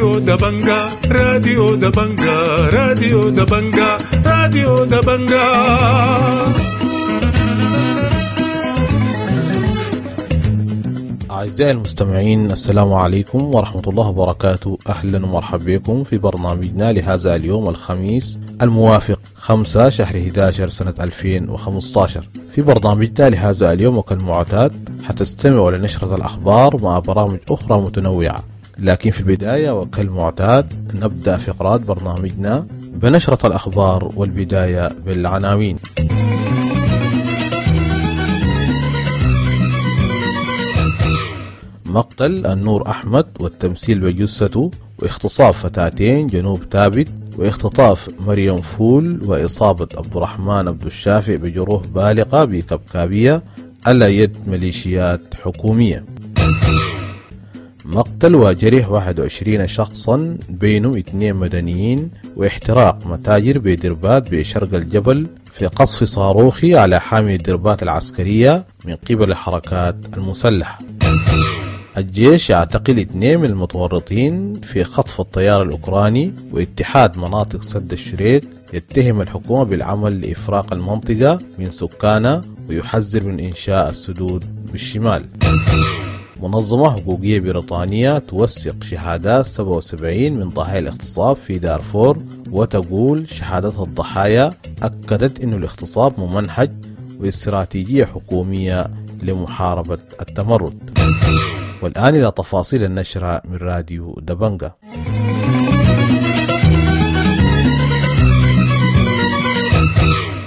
راديو دبنجا، راديو دبنجا، راديو دبنجا، راديو دبنجا. أعزائي المستمعين، السلام عليكم ورحمة الله وبركاته. أهلا ومرحبا بكم في برنامجنا لهذا اليوم الخميس الموافق 5 شهر 11 سنة 2015. في برنامجنا لهذا اليوم وكالمعتاد حتستمعوا لنشرة الأخبار مع برامج أخرى متنوعة، لكن في البداية وكالمعتاد نبدأ فقرات برنامجنا بنشرة الأخبار، والبداية بالعناوين. مقتل النور أحمد والتمثيل بجثته، واغتصاب فتاتين جنوب تابت، واختطاف مريم فول، وإصابة عبد الرحمن عبد الشافع بجروح بالغة بكبكابية على يد ميليشيات حكومية. مقتل وجريح 21 شخصا بينهم 2 مدنيين، واحتراق متاجر بدربات بشرق الجبل في قصف صاروخي على حامية دربات العسكرية من قبل الحركات المسلحة. الجيش يعتقل 2 من المتورطين في خطف الطيار الأوكراني، واتحاد مناطق سد الشريك يتهم الحكومة بالعمل لإفراق المنطقة من سكانها ويحذر من إنشاء السدود بالشمال. منظمة حقوقية بريطانية توثق شهادات 77 من ضحايا الاغتصاب في دارفور، وتقول شهادات الضحايا أكدت أن الاغتصاب ممنهج واستراتيجية حكومية لمحاربة التمرد. والآن إلى تفاصيل النشرة من راديو دبنجا.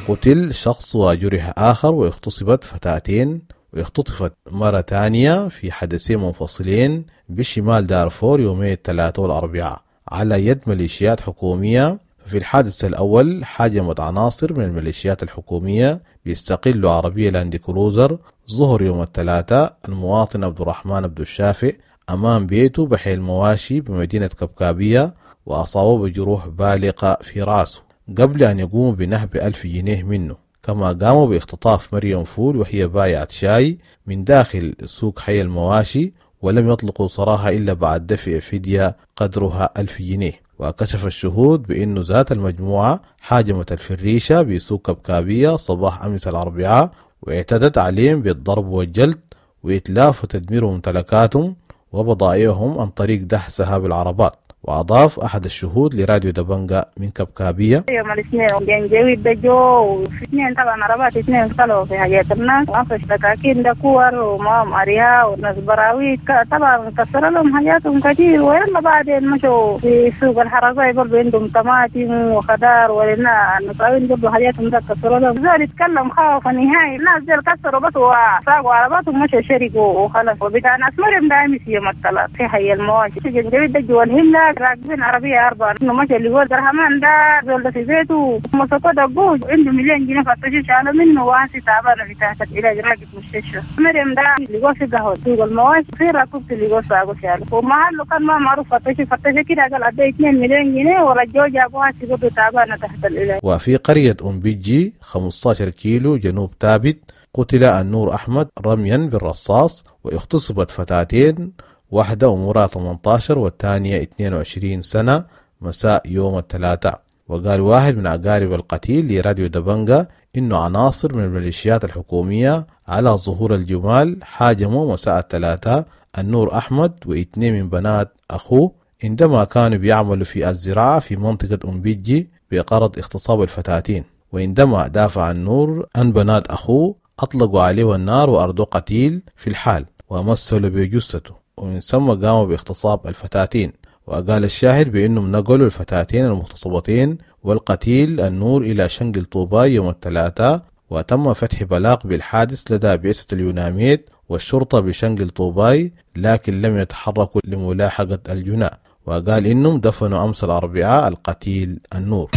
قتل شخص وجرح آخر واغتصبت فتاتين واختطفت مرة ثانية في حدثين منفصلين بشمال دارفور يومي الثلاثاء والأربعاء على يد ميليشيات حكومية. ففي الحادث الأول هاجمت عناصر من الميليشيات الحكومية بيستقلوا عربية لاند كروزر ظهر يوم الثلاثاء المواطن عبد الرحمن عبد الشافع أمام بيته بحي المواشي بمدينة كبكابية، وأصابه بجروح بالغة في رأسه قبل أن يقوموا بنهب 1000 جنيه منه. كما قاموا باختطاف مريم فول وهي بايعة شاي من داخل سوق حي المواشي، ولم يطلقوا سراحها إلا بعد دفع فدية قدرها 1000 جنيه. وكشف الشهود بأنه ذات المجموعة هاجمت الفريشة بسوق كبكابية صباح أمس الأربعاء، واعتدت عليهم بالضرب والجلد وإتلاف وتدمير ممتلكاتهم وبضائعهم عن طريق دحسها بالعربات. وأضاف أحد الشهود لراديو دبنجا من كبكابية: يوم الاثنين جنجويد دجو وفي اثنين طبعا عربات اثنين طلعوا في حاجات الناس وانفش دكاكين دكور ومام أريها وناس براويت طبعا كسر لهم حاجاتهم كثير. ويلا بعدين مشوا في سوق الحرزاي برضو عندهم طماطم وخضار ولنا النصاوين برضو حاجاتهم ده كسروا لهم. زول يتكلم خوف نهائي، الناس دول كسروا بس وساقوا عرباتهم مشوا شركوا وخلاص. وبتاع ناس مريم ده أمس يوم الثلاث في حي المواشي جنجويد دجو والهلة راكبين عربية 4 إنه مشى اللي هو الرحمن ده زول ده في بيته مسكوه دقوه عنده 1,000,000 جنيه فتشوا شالوا منه وانسي تعبانة في تحت العلاج راكب مستشفى. مريم ده اللي هو في قهوة سوق المواشي في راكبت اللي هو ساقه شاله ومحله كان ما معروف فتشوا كده قال أدي 2,000,000 جنيه ورجعوا جابوها سيبوه تعبانة تحت العلاج. وفي قرية أم بيجي 15 كيلو جنوب تابت قتل النور أحمد رميا بالرصاص، واغتصبت فتاتين، واحدة عمرها 18 والثانية 22 سنة مساء يوم الثلاثاء. وقال واحد من أقارب القتيل لراديو دبنجا إنه عناصر من الميليشيات الحكومية على ظهور الجمال هاجموا مساء الثلاثاء النور أحمد و2 من بنات أخوه عندما كانوا بيعملوا في الزراعة في منطقة أم بيجي بغرض اغتصاب الفتاتين. وعندما دافع النور عن بنات أخوه أطلقوا عليه النار وأردوا قتيل في الحال ومثلوا بجثته، ومن ثم قاموا باغتصاب الفتاتين. وقال الشاهد بأنهم نقلوا الفتاتين المغتصبتين والقتيل النور إلى شنقل طوباي يوم الثلاثاء، وتم فتح بلاغ بالحادث لدى بعثة اليوناميد والشرطة بشنقل طوباي، لكن لم يتحركوا لملاحقة الجناء. وقال إنهم دفنوا أمس الأربعاء القتيل النور.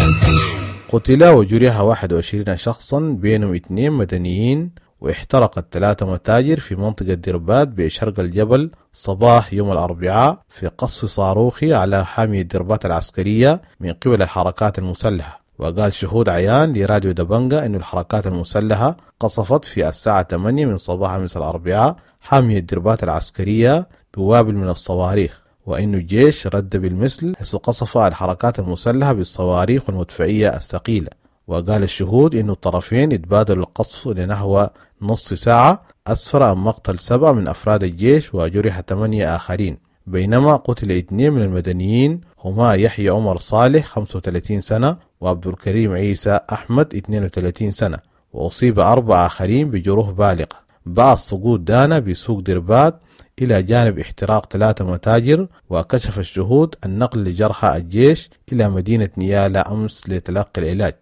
قتل وجرح 21 شخصا بينهم 2 مدنيين، واحترقت 3 متاجر في منطقة دربات بشرق الجبل صباح يوم الأربعاء في قصف صاروخي على حامية دربات العسكرية من قبل الحركات المسلحة. وقال شهود عيان لراديو دبنجا أن الحركات المسلحة قصفت في الساعة 8 من صباح أمس الأربعاء حامية دربات العسكرية بوابل من الصواريخ. وأن الجيش رد بالمثل حيث قصف الحركات المسلحة بالصواريخ والمدفعية الثقيلة. وقال الشهود أن الطرفين اتبادلوا القصف لنحو نص ساعة أسفر عن مقتل 7 من أفراد الجيش وجرح 8 آخرين، بينما قتل 2 من المدنيين هما يحيى عمر صالح 35 سنة وعبد الكريم عيسى أحمد 32 سنة، وأصيب 4 آخرين بجروح بالغة. بعد سقوط دانا بسوق دربات إلى جانب احتراق 3 متاجر. وكشف الشهود النقل لجرحى الجيش إلى مدينة نيالا أمس لتلقي العلاج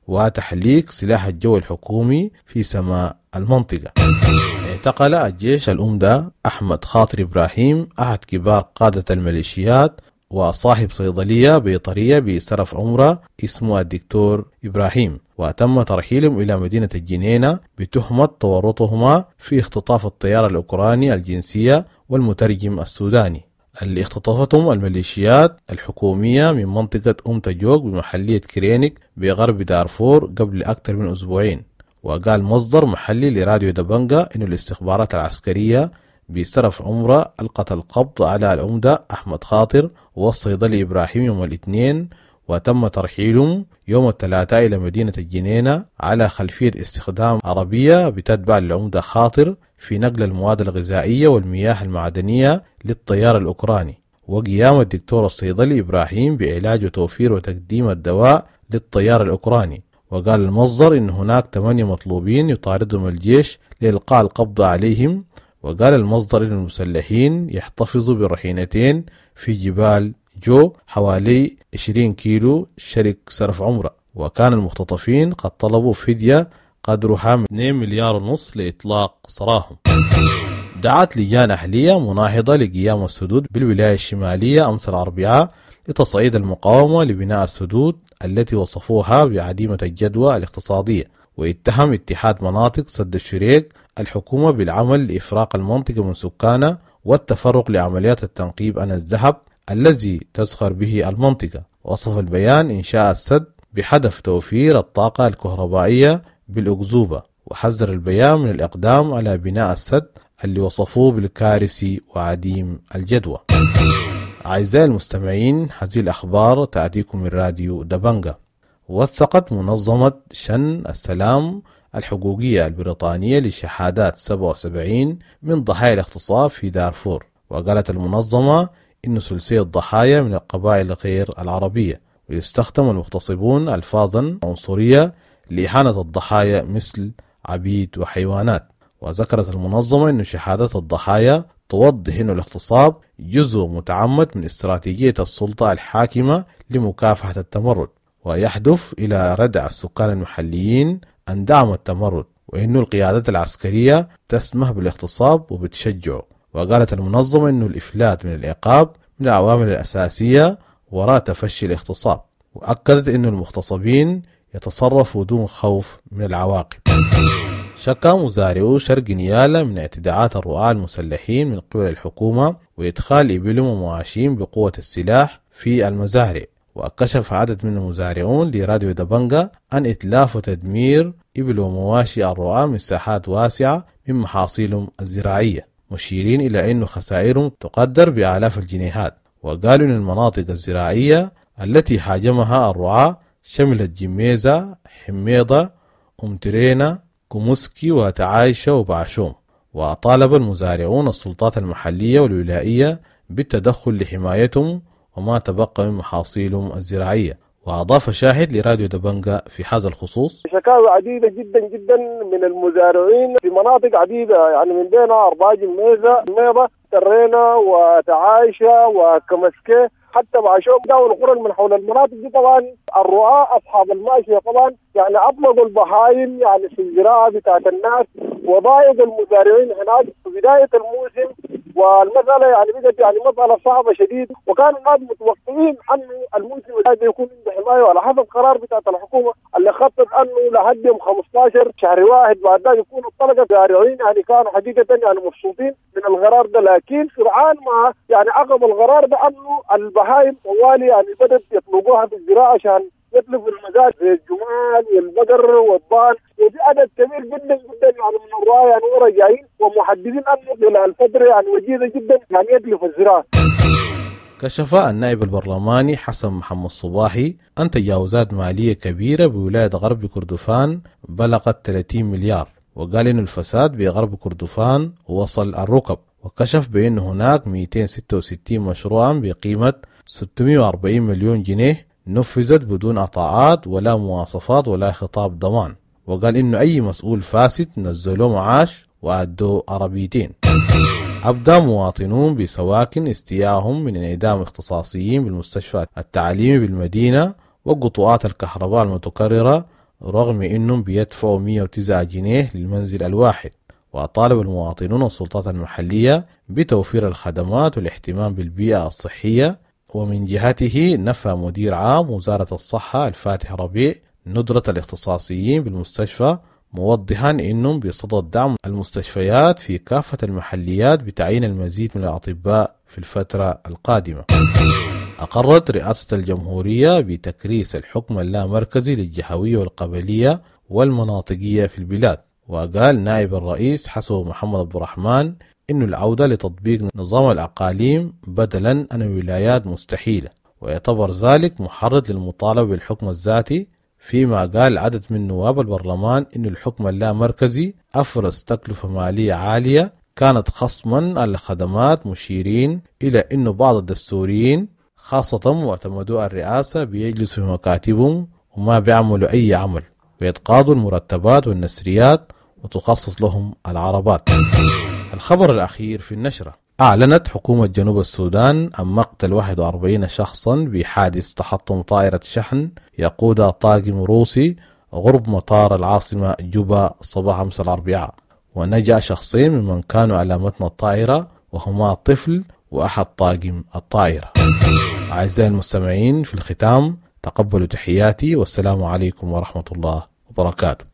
وتحليق سلاح الجو الحكومي في سماء المنطقة. اعتقل الجيش الأمدة أحمد خاطر إبراهيم أحد كبار قادة الميليشيات وصاحب صيدلية بيطرية بسرف عمرة اسمه الدكتور إبراهيم، وتم ترحيلهم إلى مدينة الجنينة بتهمة تورطهما في اختطاف الطيار الأوكراني الجنسية والمترجم السوداني اللي اختطفتهم الميليشيات الحكومية من منطقة أم تجوك بمحلية كرينك بغرب دارفور قبل أكثر من أسبوعين. وقال مصدر محلي لراديو دبنجا إن الاستخبارات العسكرية بسرف عمرة ألقت القبض على العمدة أحمد خاطر والصيدلي إبراهيم يوم الاثنين، وتم ترحيلهم يوم الثلاثاء إلى مدينة الجنينة على خلفية استخدام عربية بتتبع للعمدة خاطر في نقل المواد الغذائية والمياه المعدنية للطيار الأوكراني، وقيام الدكتور الصيدلي إبراهيم بعلاج وتوفير وتقديم الدواء للطيار الأوكراني. وقال المصدر إن هناك 8 مطلوبين يطاردهم الجيش لإلقاء القبض عليهم. وقال المصدر إن المسلحين يحتفظوا بالرهينتين في جبال جو حوالي 20 كيلو شرق سرف عمرة، وكان المختطفين قد طلبوا فدية قدرها 2.5 مليار لإطلاق سراهم. دعت لجان أهلية مناهضة لقيام السدود بالولاية الشمالية أمس الأربعاء لتصعيد المقاومة لبناء السدود التي وصفوها بعديمة الجدوى الاقتصادية. واتهم اتحاد مناطق سد الشريك الحكومة بالعمل لإفراق المنطقة من سكانها والتفرق لعمليات التنقيب عن الذهب الذي تزخر به المنطقة. وصف البيان إنشاء السد بهدف توفير الطاقة الكهربائية بالأكذوبة، وحذر البيان من الإقدام على بناء السد اللي وصفوه بالكارثي وعديم الجدوى. أعزائي المستمعين، هذه الأخبار تأتيكم من راديو دبنجا. وثقت منظمة شن السلام الحقوقية البريطانية لشهادات 77 من ضحايا الاغتصاب في دارفور. وقالت المنظمة إن ثلثي الضحايا من القبائل غير العربية، ويستخدم المغتصبون ألفاظا عنصرية لإهانة الضحايا مثل عبيد وحيوانات. وذكرت المنظمة أن شهادات الضحايا توضح أن الاغتصاب جزء متعمد من استراتيجية السلطة الحاكمة لمكافحة التمرد، ويهدف إلى ردع السكان المحليين عن دعم التمرد، وأن القيادات العسكرية تسمح بالاغتصاب وبتشجعه. وقالت المنظمة أن الإفلات من العقاب من العوامل الأساسية وراء تفشي الاغتصاب، وأكدت أن المغتصبين يتصرفوا دون خوف من العواقب. شكا مزارعو شرق نيالا من اعتداءات الرعاة المسلحين من قبل الحكومة وإدخال إبلهم ومواشيهم بقوة السلاح في المزارع. وكشف عدد من المزارعون لراديو دبنجا عن إتلاف وتدمير إبل ومواشي الرعاة من ساحات واسعة من محاصيلهم الزراعية، مشيرين إلى أن خسائرهم تقدر بآلاف الجنيهات. وقالوا أن المناطق الزراعية التي هاجمها الرعاة شملت جميزة، حميضة، أمترينا، كوموسكي وتعايشة وبعشوم. وطالب المزارعون السلطات المحلية والولائية بالتدخل لحمايتهم وما تبقى من محاصيلهم الزراعية. وأضاف شاهد لراديو دبنجا في هذا الخصوص: شكاوى عديدة جدا جدا من المزارعين في مناطق عديدة، يعني من بينها أرباج الميزة، ميضة، ترينا وتعايشة وكمسكة، حتى بعشوم والقرى من حول المناطق دي. طبعا الرعاة أصحاب الماشية طبعا يعني أطلقوا البهايم يعني في الزراعة بتاعت الناس وضايقوا المزارعين هناك في بداية الموسم، والمسألة يعني بدأت يعني مسألة صعبة شديد، وكانوا الناس متوقعين أنه الموسم هذا يكون عنده حماية، وعلى حسب قرار بتاعت الحكومة اللي خطط أنه لحد يوم 15 شهر واحد بعد ذلك يكونوا الطلقة الزارعين يعني كانوا حقيقة يعني مبسوطين من القرار ده، لكن سرعان ما يعني عقب القرار ده أنه البهايم طوالي يعني بدأت يطلقوها في الزراعة عشان يتلفوا المزارع زي الجمال والبقر والضان، وفي عدد كبير جدا جدا يعني من الرعاة يعني ورا جايين ومحددين انه خلال فتره يعني وجيزه جدا يعني يتلف الزراعه. كشف النائب البرلماني حسن محمد صباحي أن تجاوزات مالية كبيرة بولاية غرب كردفان بلغت 30 مليار، وقال إن الفساد بغرب كردفان وصل الركب، وكشف بأن هناك 266 مشروعا بقيمة 640 مليون جنيه نفذت بدون عطاءات ولا مواصفات ولا خطاب ضمان، وقال إنه أي مسؤول فاسد نزلوه معاش وأدوا عربيتين. أبدى مواطنون بسواكن استيائهم من انعدام اختصاصيين بالمستشفى التعليمي بالمدينة وقطوعات الكهرباء المتكررة رغم أنهم بيدفعوا 109 جنيه للمنزل الواحد. وطالب المواطنون السلطات المحلية بتوفير الخدمات والاهتمام بالبيئة الصحية. ومن جهته نفى مدير عام وزارة الصحة الفاتح ربيع ندرة الاختصاصيين بالمستشفى، موضحا أنهم بصدد دعم المستشفيات في كافة المحليات بتعيين المزيد من الأطباء في الفترة القادمة. أقرت رئاسة الجمهورية بتكريس الحكم اللامركزي للجهوية والقبلية والمناطقية في البلاد. وقال نائب الرئيس حسن محمد عبد الرحمن إن العودة لتطبيق نظام الأقاليم بدلا عن الولايات مستحيلة، ويعتبر ذلك محرض للمطالبة بالحكم الذاتي. فيما قال عدد من نواب البرلمان إن الحكم اللامركزي أفرز تكلفة مالية عالية كانت خصما على الخدمات، مشيرين إلى أن بعض الدستوريين خاصة معتمدو الرئاسة بيجلسوا في مكاتبهم وما بيعملوا أي عمل ويتقاضوا المرتبات والنسريات وتخصص لهم العربات. الخبر الأخير في النشرة: أعلنت حكومة جنوب السودان عن مقتل 41 شخصا بحادث تحطم طائرة شحن يقودها طاقم روسي غرب مطار العاصمة جوبا صباح أمس الأربعاء، ونجا شخصين ممن كانوا على متن الطائرة وهما طفل وأحد طاقم الطائرة. أعزائي المستمعين، في الختام تقبلوا تحياتي والسلام عليكم ورحمة الله وبركاته.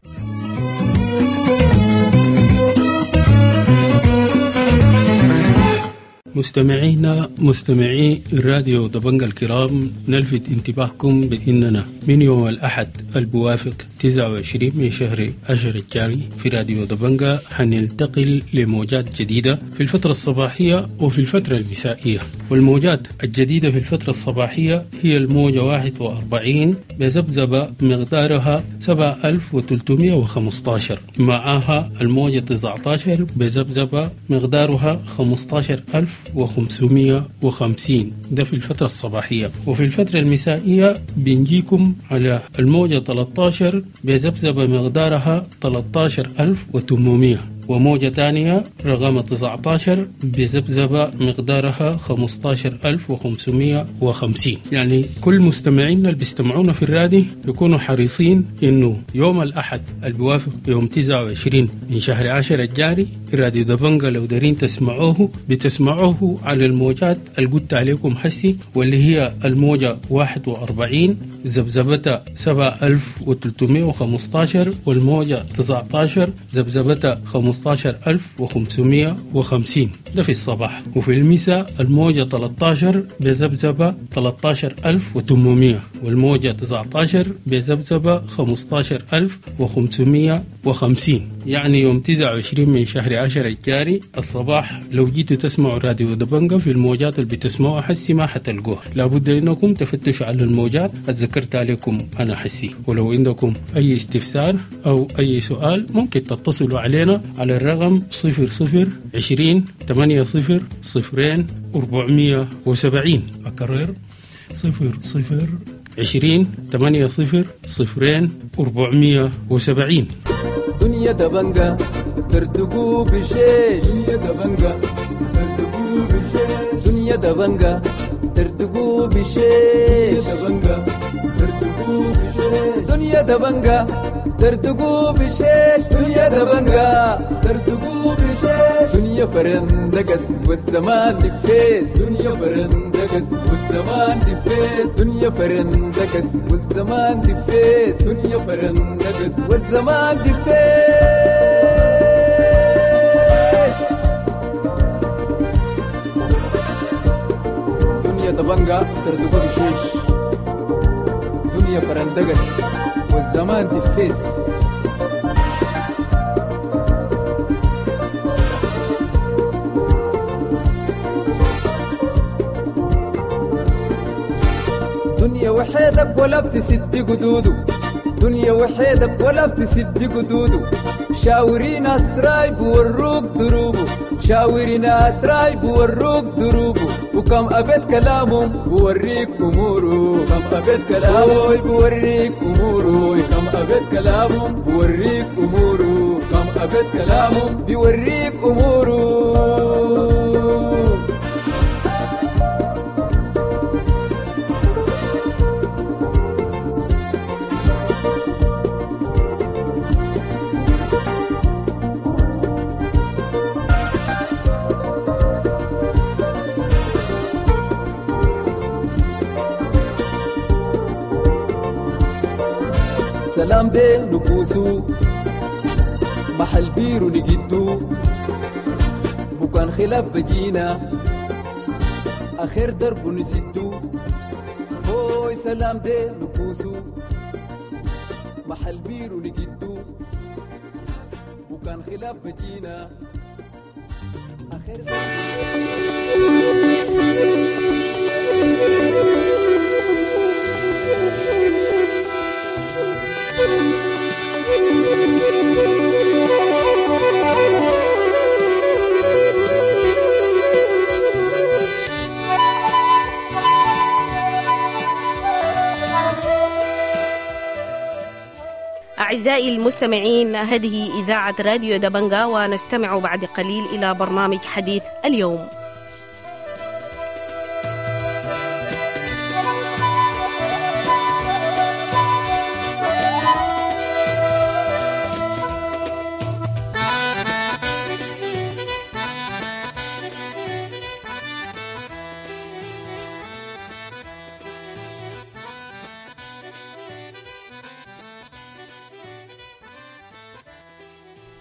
مستمعينا مستمعي الراديو دبنجا الكرام، نلفت انتباهكم بأننا من يوم الأحد البوافق 29 من شهر 10 الجاري في راديو دبنجا حننتقل لموجات جديدة في الفترة الصباحية وفي الفترة المسائية. والموجات الجديدة في الفترة الصباحية هي الموجة 41 بذبذبة مقدارها 7315، معها الموجة 19 بذبذبة مقدارها 15550، ده في الفترة الصباحية. وفي الفترة المسائية بنجيكم على الموجة 13 بذبذبة مقدارها 13800، وموجة تانية رقم 19 بذبذبة مقدارها 15550. يعني كل مستمعينا اللي بيستمعونا في الرادي يكونوا حريصين إنه يوم الأحد البوافق يوم 29 من شهر 10 الجاري راديو دبنجا لو دارين تسمعوه بتسمعوه على الموجات اللي قلت عليكم حسي، واللي هي الموجة 41 ذبذبتها 7315، والموجة 19 ذبذبتها 15550، ده في الصباح. وفي المساء الموجة 13 بذبذبة 13800، والموجة 19 بذبذبة 15550. يعني يوم 29 من شهر 10 الجاري الصباح لو جيتوا تسمعوا راديو دبنجا في الموجات اللي بتسمعوها حسي ما حتلقوها، لابد انكم تفتشوا على الموجات اتذكرت عليكم انا حسي. ولو عندكم اي استفسار او اي سؤال ممكن تتصلوا علينا على الرقم 00 20 80 0 470. أكرر 00 20 80 0 470. دنيا دبنجا ترتقو بشيش، دنيا دبنجا ترتقو بشيش، دنيا دبنجا ترتقو بشيش، دبنجا ترتقو بشيش، دنيا دبنجا ترتقو بشيش، دنيا دبنجا ترتقو بشيش، دنيا فرندقس والزمان دفيس، دنيا فرندقس والزمان دفيس، دنيا فرندقس والزمان دفيس، دنيا فرندقس والزمان دفيس. دنيا دبنجا ترتقو بشيش، دنيا فرندقس والزمان دفيس. وحيدك ولا بتسد قدوده، دنيا وحيدك ولا بتسد قدوده. شاوري ناس راي بوروك دروبه، شاوري ناس راي بوروك دروبه. وكم أبيت كلامهم بوريك أموره، كم أبيت كلامه بوريك أموره، كم أبيت كلامهم بوريك أموره، كم أبيت كلامهم بيوريك أموره. سلام دي نبوسو محل بيرو نجدو، بكان خلاف بجينا آخر درب نسدو. هوي سلام دي نبوسو محل بيرو نجدو، بكان خلاف بجينا آخر أعزائي المستمعين، هذه إذاعة راديو دبنجا، ونستمع بعد قليل إلى برنامج حديث اليوم.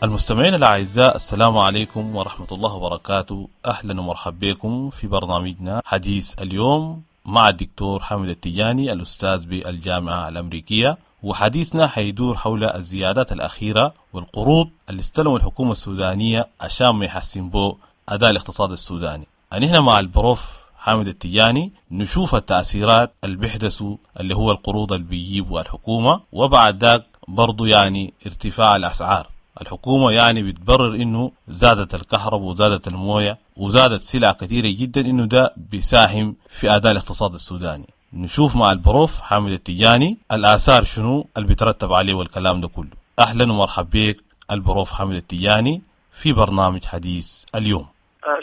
المستمعين الأعزاء، السلام عليكم ورحمة الله وبركاته. أهلا ومرحبا بكم في برنامجنا حديث اليوم مع الدكتور حامد التجاني الأستاذ بالجامعة الأمريكية، وحديثنا حيدور حول الزيادات الأخيرة والقروض اللي استلموا الحكومة السودانية عشان ما يحسن بو أداء الاقتصاد السوداني. نحن مع البروف حامد التجاني نشوف التأثيرات اللي بيحدثوا اللي هو القروض اللي بيجيبوا الحكومة، وبعد ذاك برضو يعني ارتفاع الأسعار. الحكومة يعني بتبرر إنه زادت الكهرباء وزادت الموية وزادت سلع كثيرة جدا، إنه ده بيساهم في أداء الاقتصاد السوداني. نشوف مع البروف حامد التجاني الآثار شنو اللي بيترتب عليه والكلام ده كله. أهلا ومرحبا بك البروف حامد التجاني في برنامج حديث اليوم.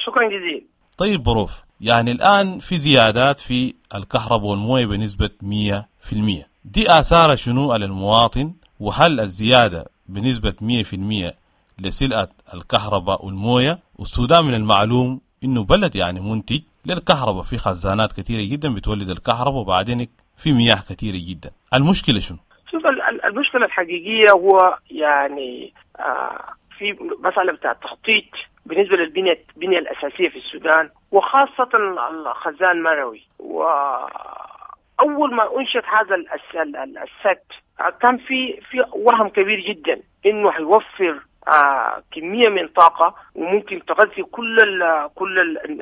شكرا جزيلا. طيب بروف، يعني الآن في زيادات في الكهرباء والموية بنسبة 100%، دي آثار شنو على المواطن؟ وهل الزيادة بنسبة 100% لسلعة الكهرباء والموية؟ والسودان من المعلوم إنه بلد يعني منتج للكهرباء، في خزانات كثيرة جدا بتولد الكهرباء، وبعدين في مياه كثيرة جدا. المشكلة شنو؟ شوف، المشكلة الحقيقية هو يعني في مسألة بتاع التخطيط بالنسبة للبنية الأساسية في السودان، وخاصة الخزان المروي. وأول ما أنشئت هذا السد كان في وهم كبير جدا انه هيوفر كمية من طاقة وممكن تغذي كل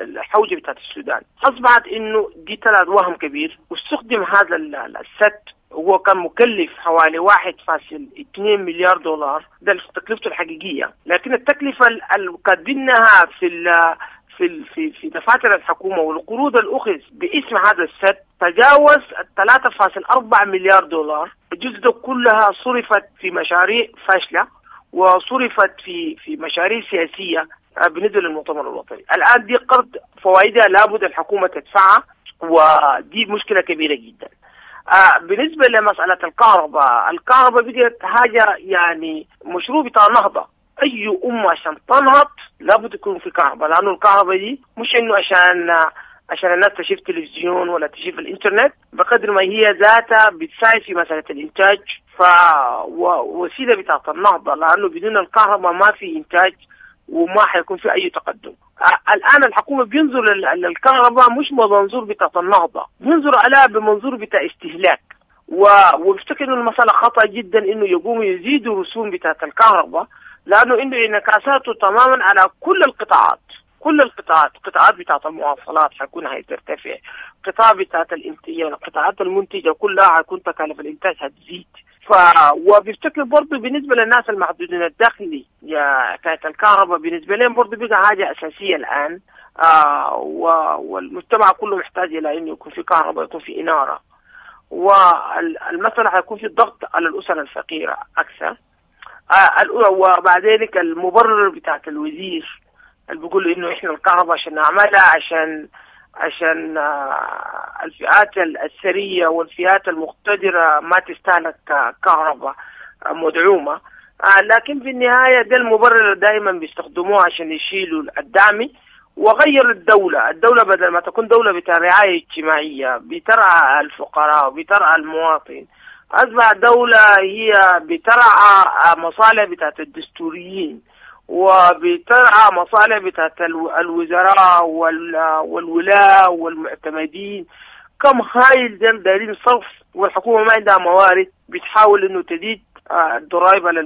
الحوجه بتاعت السودان. اصبحت انه دي طلعت وهم كبير، واستخدم هذا السد، هو كان مكلف حوالي 1.2 مليار دولار، ده تكلفته الحقيقية، لكن التكلفة اللي كاتبينها في في في دفاتر الحكومة والقروض الاخذ باسم هذا السد تجاوز 3.4 مليار دولار. الجزء ده كلها صرفت في مشاريع فاشلة، وصرفت في مشاريع سياسية بالنسبة للمؤتمر الوطني. الان دي قرض فوائدها لابد الحكومة تدفعها، ودي مشكلة كبيرة جدا. بالنسبة لمسالة الكهرباء، الكهرباء بقت حاجة يعني مشروع بتاع نهضة. اي امه عشان تنهض لابد يكون في كهرباء، لانه الكهرباء دي مش انه عشان الناس تشوف تلفزيون ولا تشوف الانترنت، بقدر ما هي ذاتها بتساعد في مسالة الانتاج، فوسيله بتاعت النهضة، لانه بدون الكهرباء ما في انتاج وما حيكون في اي تقدم. الان الحكومة بينظر للكهرباء مش بمنظور بتاعت النهضة، بينظر عليها بمنظور بتاع استهلاك، وبفتكر انه المسالة خطا جدا انه يقوموا يزيدوا رسوم بتاعت الكهرباء، لانه عنده انعكاساته تماما على كل القطاعات. كل القطاعات، قطاعات بتاعت المواصلات حيكون هترتفع، قطاع بتاعت الانتاج، القطاعات المنتجة كلها حيكون تكاليف الانتاج هتزيد. وبيفتكر برضه بالنسبة للناس المحدودين الدخل يا حكاية الكهرباء بالنسبة لهم برضه بقى حاجة اساسية الان. والمجتمع كله محتاج الى انه يكون في كهرباء، يكون في انارة. والمسألة حيكون في ضغط على الأسر الفقيرة أكثر. وبعد ذلك المبرر بتاعت الوزير اللي بيقول إنه إحنا الكهرباء عشان نعملها عشان الفئات الثرية والفئات المقتدرة ما تستهلك كهرباء مدعومة، لكن في النهاية ده المبرر دائما بيستخدموه عشان يشيلوا الدعم. وغير الدولة بدل ما تكون دولة بتاع رعاية اجتماعية بترعى الفقراء وبترعى المواطن، أصبح دولة هي بترعى مصالح بتاعت الدستوريين وبترعى مصالح بتاعت الوزراء والولاة والمعتمدين. كم هايل دايرين صرف، والحكومة ما عندها موارد، بتحاول انه تزيد الضرائب على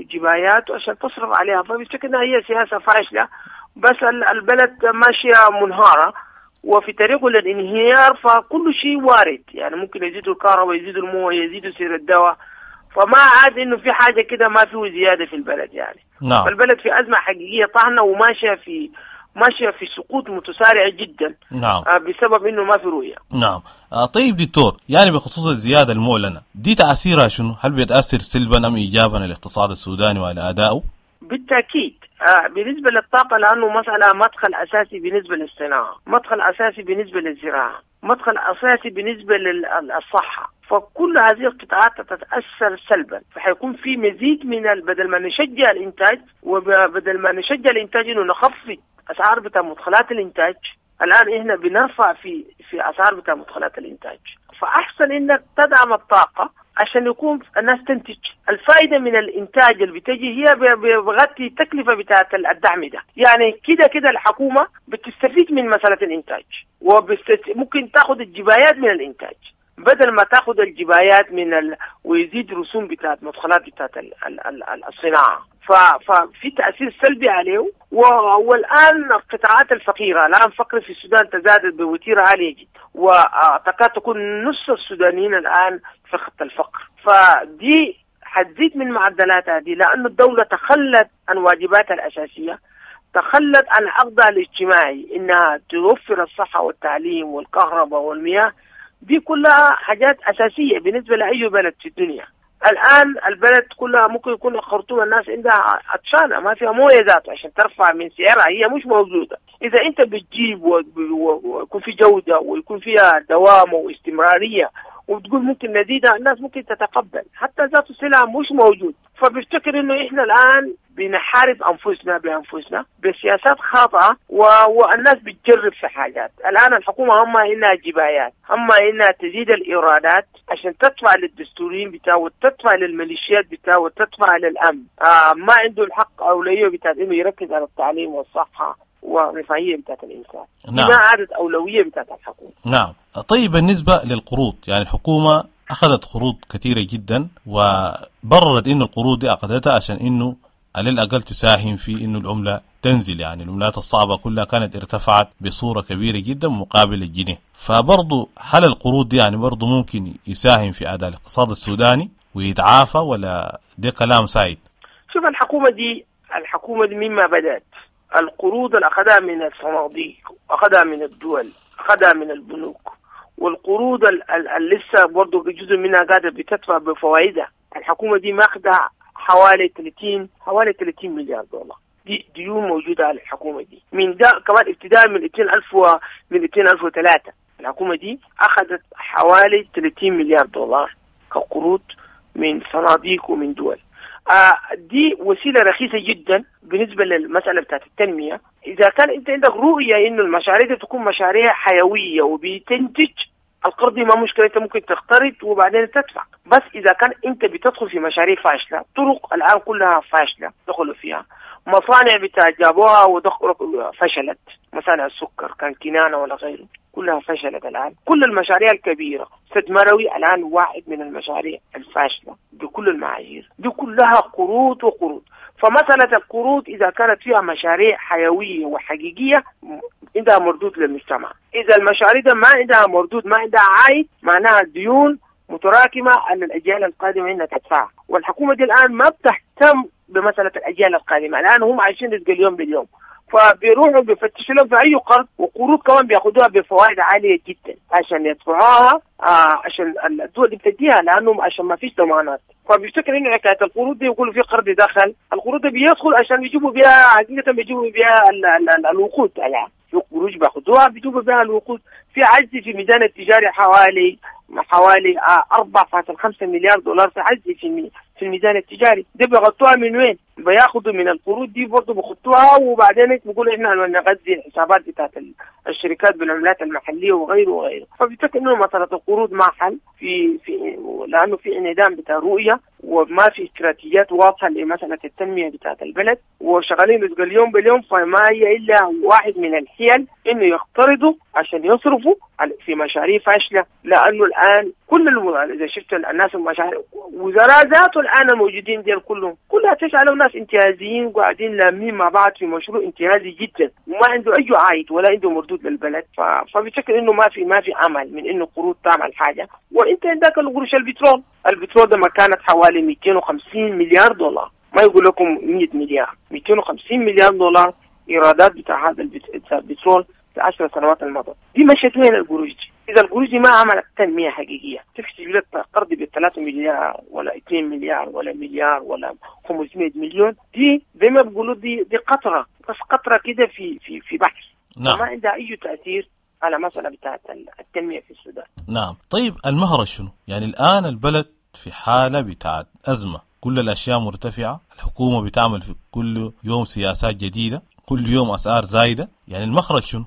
الجبايات عشان تصرف عليها. فبفتكر انها هي سياسة فاشلة، بس البلد ماشية منهارة وفي طريقه للانهيار، فكل شيء وارد. يعني ممكن يزيدوا الكهرباء، يزيدوا المويه، يزيدوا سعر الدواء، فما عاد انه في حاجة كده ما فيه زيادة في البلد يعني. نعم. فالبلد في أزمة حقيقية طاحنة وماشية في سقوط متسارع جدا. نعم. بسبب انه ما في رؤية. نعم. طيب دكتور، يعني بخصوص الزيادة المعلنة دي تأثيرها شنو؟ هل بيتأثر سلبا أم إيجابا على الاقتصاد السوداني وعلى أدائه؟ بالتأكيد. بالنسبة للطاقة، لأنه مسألة مدخل أساسي بالنسبة للصناعة، مدخل أساسي بالنسبة للزراعة، مدخل أساسي بالنسبة للصحة، فكل هذه القطاعات تتأثر سلبا. فحيكون في مزيد من بدل ما نشجع الإنتاج، وبدل ما نشجع الإنتاج إنه نخفض أسعار بتاع مدخلات الإنتاج، الآن إحنا بنرفع في أسعار بتاع مدخلات الإنتاج. فأحسن إنك تدعم الطاقة عشان يكون الناس تنتج. الفائدة من الإنتاج اللي بتجي هي بغطي التكلفة بتاعت الدعم ده. يعني كده كده الحكومة بتستفيد من مسألة الإنتاج، وممكن تاخد الجبايات من الإنتاج بدل ما تاخد الجبايات من ويزيد رسوم بتاعت مدخلات بتاعت الصناعة. ففي تأثير سلبي عليه. والآن القطاعات الفقيرة، الآن فقر في السودان تزادت بوتيرة عالية جدا، وتكاد تكون نص السودانيين الآن في خط الفقر. فدي حتزيد من معدلاتها دي، لأن الدولة تخلت عن واجباتها الأساسية، تخلت عن عقدها الاجتماعي إنها توفر الصحة والتعليم والكهرباء والمياه. دي كلها حاجات أساسية بالنسبة لأي بلد في الدنيا. الآن البلد كلها ممكن يكون الخرطوم الناس عندها عطشانة، ما فيها موية ذاته عشان ترفع من سعرها، هي مش موجودة. إذا أنت بتجيب ويكون في جودة ويكون فيها دوام واستمرارية وبتقول ممكن نزيدها، الناس ممكن تتقبل، حتى ذات السلعة مش موجود. فبفتكر إنه إحنا الآن بنحارب أنفسنا بأنفسنا بسياسات خاطئة، والناس بتجرب في حاجات. الآن الحكومة هم إنها جبايات، هم إنها تزيد الإيرادات عشان تدفع للدستوريين بتاعه وتدفع للميليشيات بتاعه وتدفع للأمن. ما عنده الحق أولوية بتاعت إنه يركز على التعليم والصحة والرفاهية بتاعت الإنسان. نعم. ما عادت أولوية بتاعت الحكومة. نعم. طيب بالنسبة للقروض، يعني الحكومة أخذت قروض كثيرة جدا وبررت إنه القروض دي أخذتها عشان إنه على الأقل تساهم في إنه العملة تنزل، يعني العملات الصعبة كلها كانت ارتفعت بصورة كبيرة جدا مقابل الجنيه. فبرضو هل القروض دي يعني برضو ممكن يساهم في أداء الاقتصاد السوداني ويتعافى، ولا ده كلام سايد؟ شوف، الحكومة دي مما بدأت القروض اللي أخذها من الصناديق، أخذها من الدول، أخذها من البنوك، والقروض اللي لسه برضو جزء منها قاعدة بتدفع بفوائدها. الحكومة دي ماخذة حوالي 30 مليار دولار دي ديون موجودة على الحكومة دي من ده كمان ابتداء من 2003. الحكومة دي أخذت حوالي 30 مليار دولار كقروض من صناديق ومن دول. دي وسيلة رخيصة جدا بالنسبة للمسألة بتاعت التنمية. إذا كان أنت عندك رؤية إنه المشاريع دي تكون مشاريع حيوية وبتنتج، القرض ما مشكلة، انت ممكن تقترض وبعدين تدفع، بس اذا كان انت بتدخل في مشاريع فاشلة، طرق الان كلها فاشلة دخلوا فيها، مصانع بتاع جابوها ودخلوا فشلت، مصانع السكر كان كنانة ولا غيره كلها فشلت الآن. كل المشاريع الكبيرة، سد مروي الآن واحد من المشاريع الفاشلة بكل المعايير، دي كلها قروض وقروض. فمسألة القروض إذا كانت فيها مشاريع حيوية وحقيقية عندها مردود للمجتمع، إذا المشاريع ده ما عندها مردود، ما عندها عائد، معناها ديون متراكمة على الأجيال القادمة إنها تدفعها. والحكومة دي الآن ما بتهتم بمسألة الأجيال القادمة، الآن هم عايشين رزق اليوم باليوم، فبيروحوا بيفتشوا لهم في أي قرض، وقروض كمان بياخدوها بفوائد عالية جدا عشان يدفعوها، عشان الدول دي بتديها لأنهم عشان ما فيش ضمانات. فبيفتكر إنه حكاية القروض دي يقولوا في قرض دخل، القروض دي بيدخل عشان يجيبوا بها حقيقة، بيجيبوا بها الوقود الآن، في قروش بياخدوها بيجيبوا بها الوقود. في عجز في الميزان التجاري حوالي 4.5 مليار دولار في عجز في الميزان التجاري، دي بيغطوها من وين؟ بياخدوا من القروض دي برضه بيخطوها، وبعدين بيقولوا احنا نغذي الحسابات بتاعت الشركات بالعملات المحلية وغيره وغيره. فبيفتكر انه مسالة القروض ما حل في لانه في انعدام بتاع رؤية، وما في استراتيجيات واضحة لمسالة التنمية بتاعت البلد، وشغالين رزق اليوم باليوم. فما هي الا واحد من الحيل انه يقترضوا عشان يصرفوا في مشاريع فاشلة، لانه الان كل اذا شفت الناس المشاريع وزراء ذاته الان الموجودين ديل كلهم كلها تسألوا ناس انتهازيين وقاعدين لامين مع بعض في مشروع انتهازي جدا، وما عنده اي عائد ولا عنده مردود للبلد. فبشكل انه ما في امل من انه قروض تعمل حاجة. وانت عندك القروش البترول، البترول ده ما كانت حوالي 250 مليار دولار، ما يقول لكم 100 مليار، 250 مليار دولار ايرادات بتاع هذا البترول في 10 سنوات الماضية. دي مشت وين القروش دي؟ إذا القروش دي ما عملت تنمية حقيقية، تكتب لك قرض ب3 مليار ولا 2 مليار ولا مليار ولا 500 مليون، دي زي ما بيقولوا دي قطرة، بس قطرة كده في في في بحر. نعم. ما عندها أي تأثير على مسألة بتاعت التنمية في السودان. نعم. طيب المهرج شنو؟ يعني الآن البلد في حالة بتاعت أزمة، كل الأشياء مرتفعة، الحكومة بتعمل في كل يوم سياسات جديدة، كل يوم أسعار زايدة، يعني المخرج شنو؟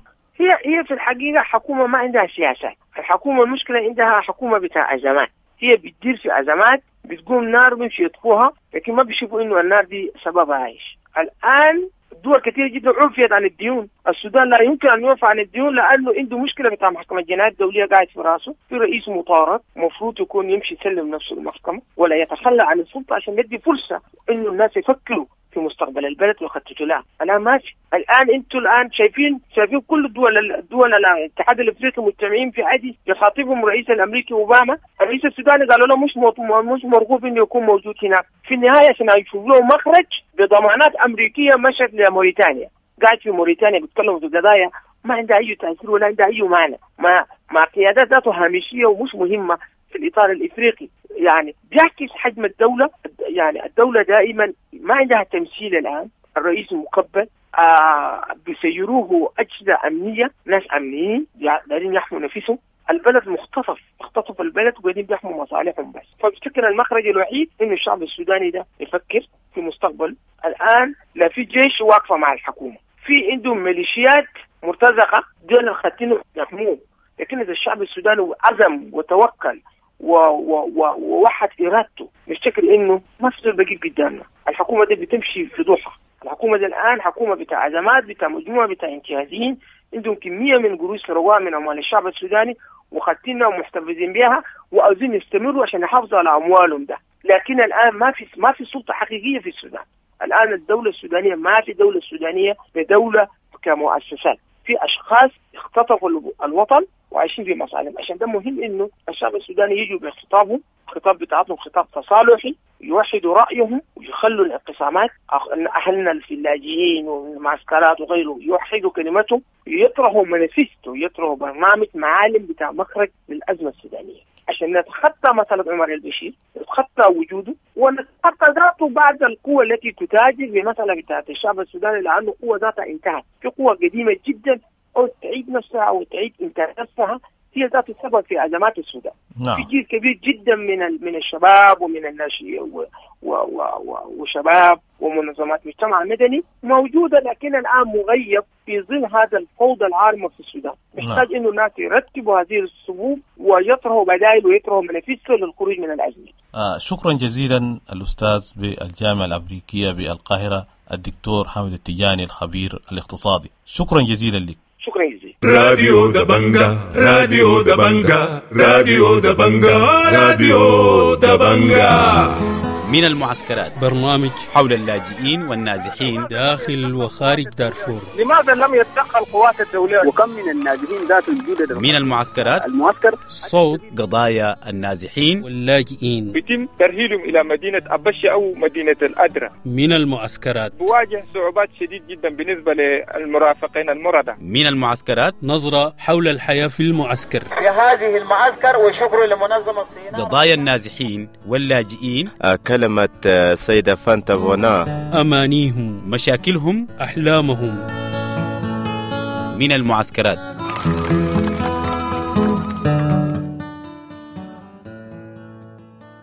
هي في الحقيقة حكومة ما عندها سياسات، الحكومة المشكلة عندها حكومة بتاع أزمات، هي بتدير في أزمات، بتقوم نار بيمشي يطفوها، لكن ما بيشوفوا إنه النار دي سببها إيش. الآن دول كثير جدا عفيت عن الديون، السودان لا يمكن أن يعفى عن الديون لأنه عنده مشكلة بتاع محكمة الجنايات الدولية قاعد في راسه، في رئيس مطارد مفروض يكون يمشي يسلم نفسه المحكمة ولا يتخلى عن السلطة عشان يدي فرصة إنه الناس يفكروا في مستقبل البلد ويخططوا لها. الآن ماشي، الآن أنتم الآن شايفين كل الدول الاتحاد الأفريقي مجتمعين في عدي يخاطبهم الرئيس الأمريكي أوباما، الرئيس السوداني قالوا له مش مرغوب إنه يكون موجود هناك. في النهاية عشان يشوف له مخرج بضمانات أمريكية مشت لموريتانيا، قاعد في موريتانيا بيتكلموا في قضايا ما عندها أي تأثير ولا عندها أي معنى، مع قيادات ذاته هامشية ومش مهمة في الإطار الإفريقي. يعني بيعكس حجم الدولة، يعني الدولة دائما ما عندها تمثيل. الآن الرئيس مقبل، بيسيروه أجهزة أمنية، ناس أمنيين دارين يحموا نفسهم، البلد مختطف، اختطف البلد وقاعدين بيحموا مصالحهم بس. فبفتكر المخرج الوحيد إنه الشعب السوداني ده يفكر في مستقبل. الآن لا في جيش واقفة مع الحكومة، في عندهم ميليشيات مرتزقة دول الخاتين يحموه، لكن إذا الشعب السوداني عزم وتوكل ووحد إرادته، نفتكر إنه ما في زول بيجيب قدامنا. الحكومة دي بتمشي في ضحى، الحكومة دي الآن حكومة بتاع أزمات، بتاع مجموعة بتاع انتهازيين، عندهم كمية من قروش سرقوها من أموال الشعب السوداني وخدتنا ومحتفظين بها وعاوزين يستمروا عشان يحافظوا على أموالهم ده. لكن الآن ما في سلطة حقيقية في السودان. الآن الدولة السودانية ما في دولة سودانية بدولة كمؤسسات، في أشخاص اختطفوا الوطن وعايشين في مصالحهم. عشان ده مهم إنه الشعب السوداني يجوا بخطابهم، خطاب بتاعتهم خطاب تصالحي، يوحدوا رأيهم ويخلوا الانقسامات، أهلنا في اللاجئين والمعسكرات وغيره يوحدوا كلمتهم، يطرحوا مانيفستو، يطرحوا برنامج معالم بتاع مخرج للأزمة السودانية عشان نتخطى مسألة عمر البشير، نتخطى وجوده ونتخطى ذاته بعد القوة التي تتاجر بمسألة بتاعت الشعب السوداني، لأنه قوة ذاتها انتهت، في قوة قديمة جدا أو تعيد نفسها أو تعيد إنتاج نفسها، هي ذات السبب في أزمات السودان. نعم. في جيل كبير جدا من الشباب ومن الناشئين وشباب ومنظمات مجتمع مدني موجودة، لكن الآن مغيب في ظل هذا الفوضى العارمة في السودان. محتاج إنه الناس يرتبوا هذه الصفوف ويطرحوا بدائل ويطرحوا مانيفستو للخروج من الازمة. شكرا جزيلا الاستاذ بالجامعة الامريكية بالقاهرة الدكتور حامد التجاني الخبير الاقتصادي، شكرا جزيلا لك. شكرا جزيلا. راديو دبنجا، راديو دبنجا، راديو دبنجا، راديو دبنجا. من المعسكرات، برنامج حول اللاجئين والنازحين داخل وخارج دارفور. لماذا لم يتدخل القوات الدولية؟ وكم من النازحين ذات الجدد من المعسكرات، المعسكر صوت قضايا النازحين واللاجئين، بيتم ترحيلهم إلى مدينة أبشة أو مدينة الأدرة. من المعسكرات بواجه صعوبات شديد جدا بالنسبة للمرافقين المرضى. من المعسكرات، نظرة حول الحياة في المعسكر في هذه المعسكر، وشكر لمنظمة الصينية. قضايا النازحين واللاجئين، كلمة سيدة فانتا فونا، أمانيهم، مشاكلهم، أحلامهم. من المعسكرات.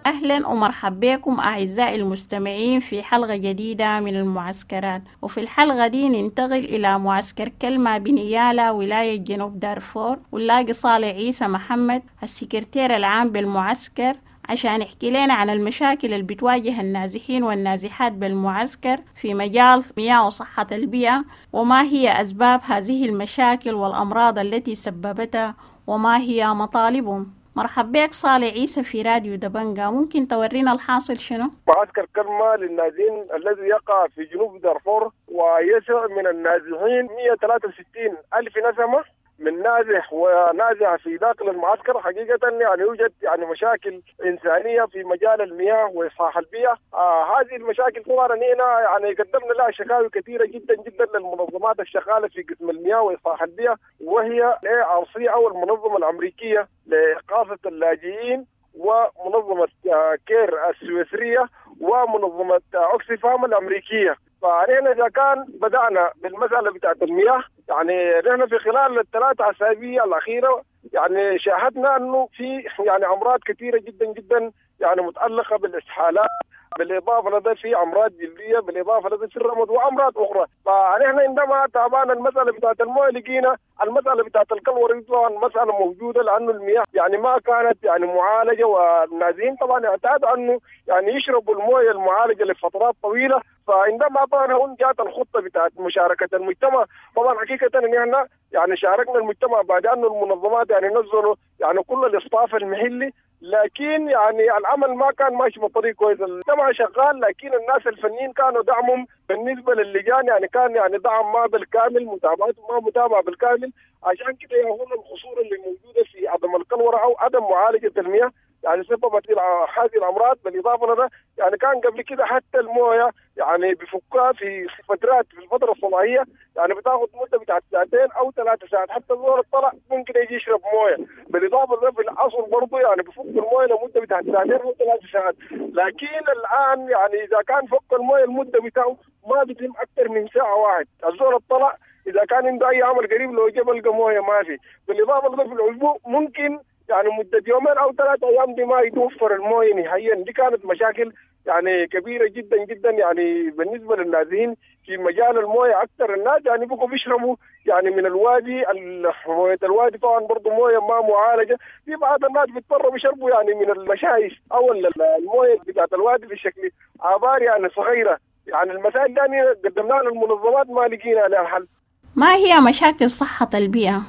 أهلا ومرحبا بكم أعزائي المستمعين في حلقة جديدة من المعسكرات. وفي الحلقة دي ننتقل إلى معسكر كلمة بنيالا ولاية جنوب دارفور، ونلاقي صالح عيسى محمد السكرتير العام بالمعسكر عشان يحكي لنا عن المشاكل اللي بتواجه النازحين والنازحات بالمعسكر في مجال مياه وصحة البيئة، وما هي أسباب هذه المشاكل والأمراض التي سببتها، وما هي مطالبهم. مرحبا بك صالح عيسى في راديو دبنجا، ممكن تورينا الحاصل شنو؟ معسكر كلمة للنازحين الذي يقع في جنوب دارفور ويسع من النازحين 163 ألف نسمة من نازح ونازح في داخل المعسكر. حقيقة يعني يوجد يعني مشاكل إنسانية في مجال المياه وإصلاح البيئة. هذه المشاكل طبعا هنا يعني قدمنا لها شكاوي كثيرة جدا جدا للمنظمات الشغالة في قسم المياه وإصلاح البيئة، وهي ARC أو المنظمة الأمريكية لإغاثة اللاجئين، ومنظمة كير السويسرية، ومنظمة أوكسفام الأمريكية. فنحن إذا كان بدأنا بالمسألة بتاعت المياه، يعني نحن في خلال الثلاث أسابيع الأخيرة يعني شاهدنا أنه في يعني أمراض كثيرة جدا جدا يعني متعلقة بالإسهالات، بالإضافة لدى في أمراض جلدية، بالإضافة لدى في الرمد وأمراض أخرى. فنحن عندما تابعنا المسألة بتاعت المويه لقينا المسألة بتاعت الكلوري طبعا مسألة موجودة، لأنه المياه يعني ما كانت يعني معالجة، والنازحين طبعا اعتادوا أنه يعني يشربوا المويه المعالجة لفترات طويلة. فعندما طبعا هون جاءت الخطة بتاعت مشاركة المجتمع، طبعا حقيقة إن احنا يعني شاركنا المجتمع بعد أنه المنظمات يعني نزلوا يعني كل الاصطاف المحلي، لكن يعني العمل ما كان ماشي بطريق كويس. المجتمع شغال، لكن الناس الفنيين كانوا دعمهم بالنسبة للجان يعني كان يعني دعم ما بالكامل، متابعته ما متابعة بالكامل. عشان كده يهون القصور اللي موجودة في عدم الكلورة أو عدم معالجة المياه يعني سببت هذه الأمراض. بالإضافة لده يعني كان قبل كده حتى المويه يعني بفكها في فترات في الفترة الصباحية يعني بتاخذ مدة بتاعت ساعتين أو 3 ساعات، حتى الزول الطلع ممكن يجي يشرب مويه. بالإضافة لده في العصر برضه يعني بفك المويه لمدة بتاعت ساعتين أو 3 ساعات، لكن الآن يعني إذا كان فك المويه المدة بتاعه ما بيتم أكثر من ساعة واحد. الزول الطلع إذا كان عنده أي عمل قريب لو جاب لقى مويه ما في. بالإضافة لده في الأسبوع ممكن يعني مدة يومين أو 3 أيام دي ما يتوفر المويه نهائيا. دي كانت مشاكل يعني كبيرة جدا جدا يعني بالنسبة للنازحين في مجال المويه. أكثر الناس يعني بقوا بيشربوا يعني من الوادي، موية الوادي طبعا برضو مويه ما معالجة. في بعض الناس بيضطروا بيشربوا يعني من المشايش أو المويه بتاعت الوادي في شكل آبار يعني صغيرة. يعني المسائل دي قدمناها للمنظمات ما لقينا لها حل. ما هي مشاكل صحة البيئة؟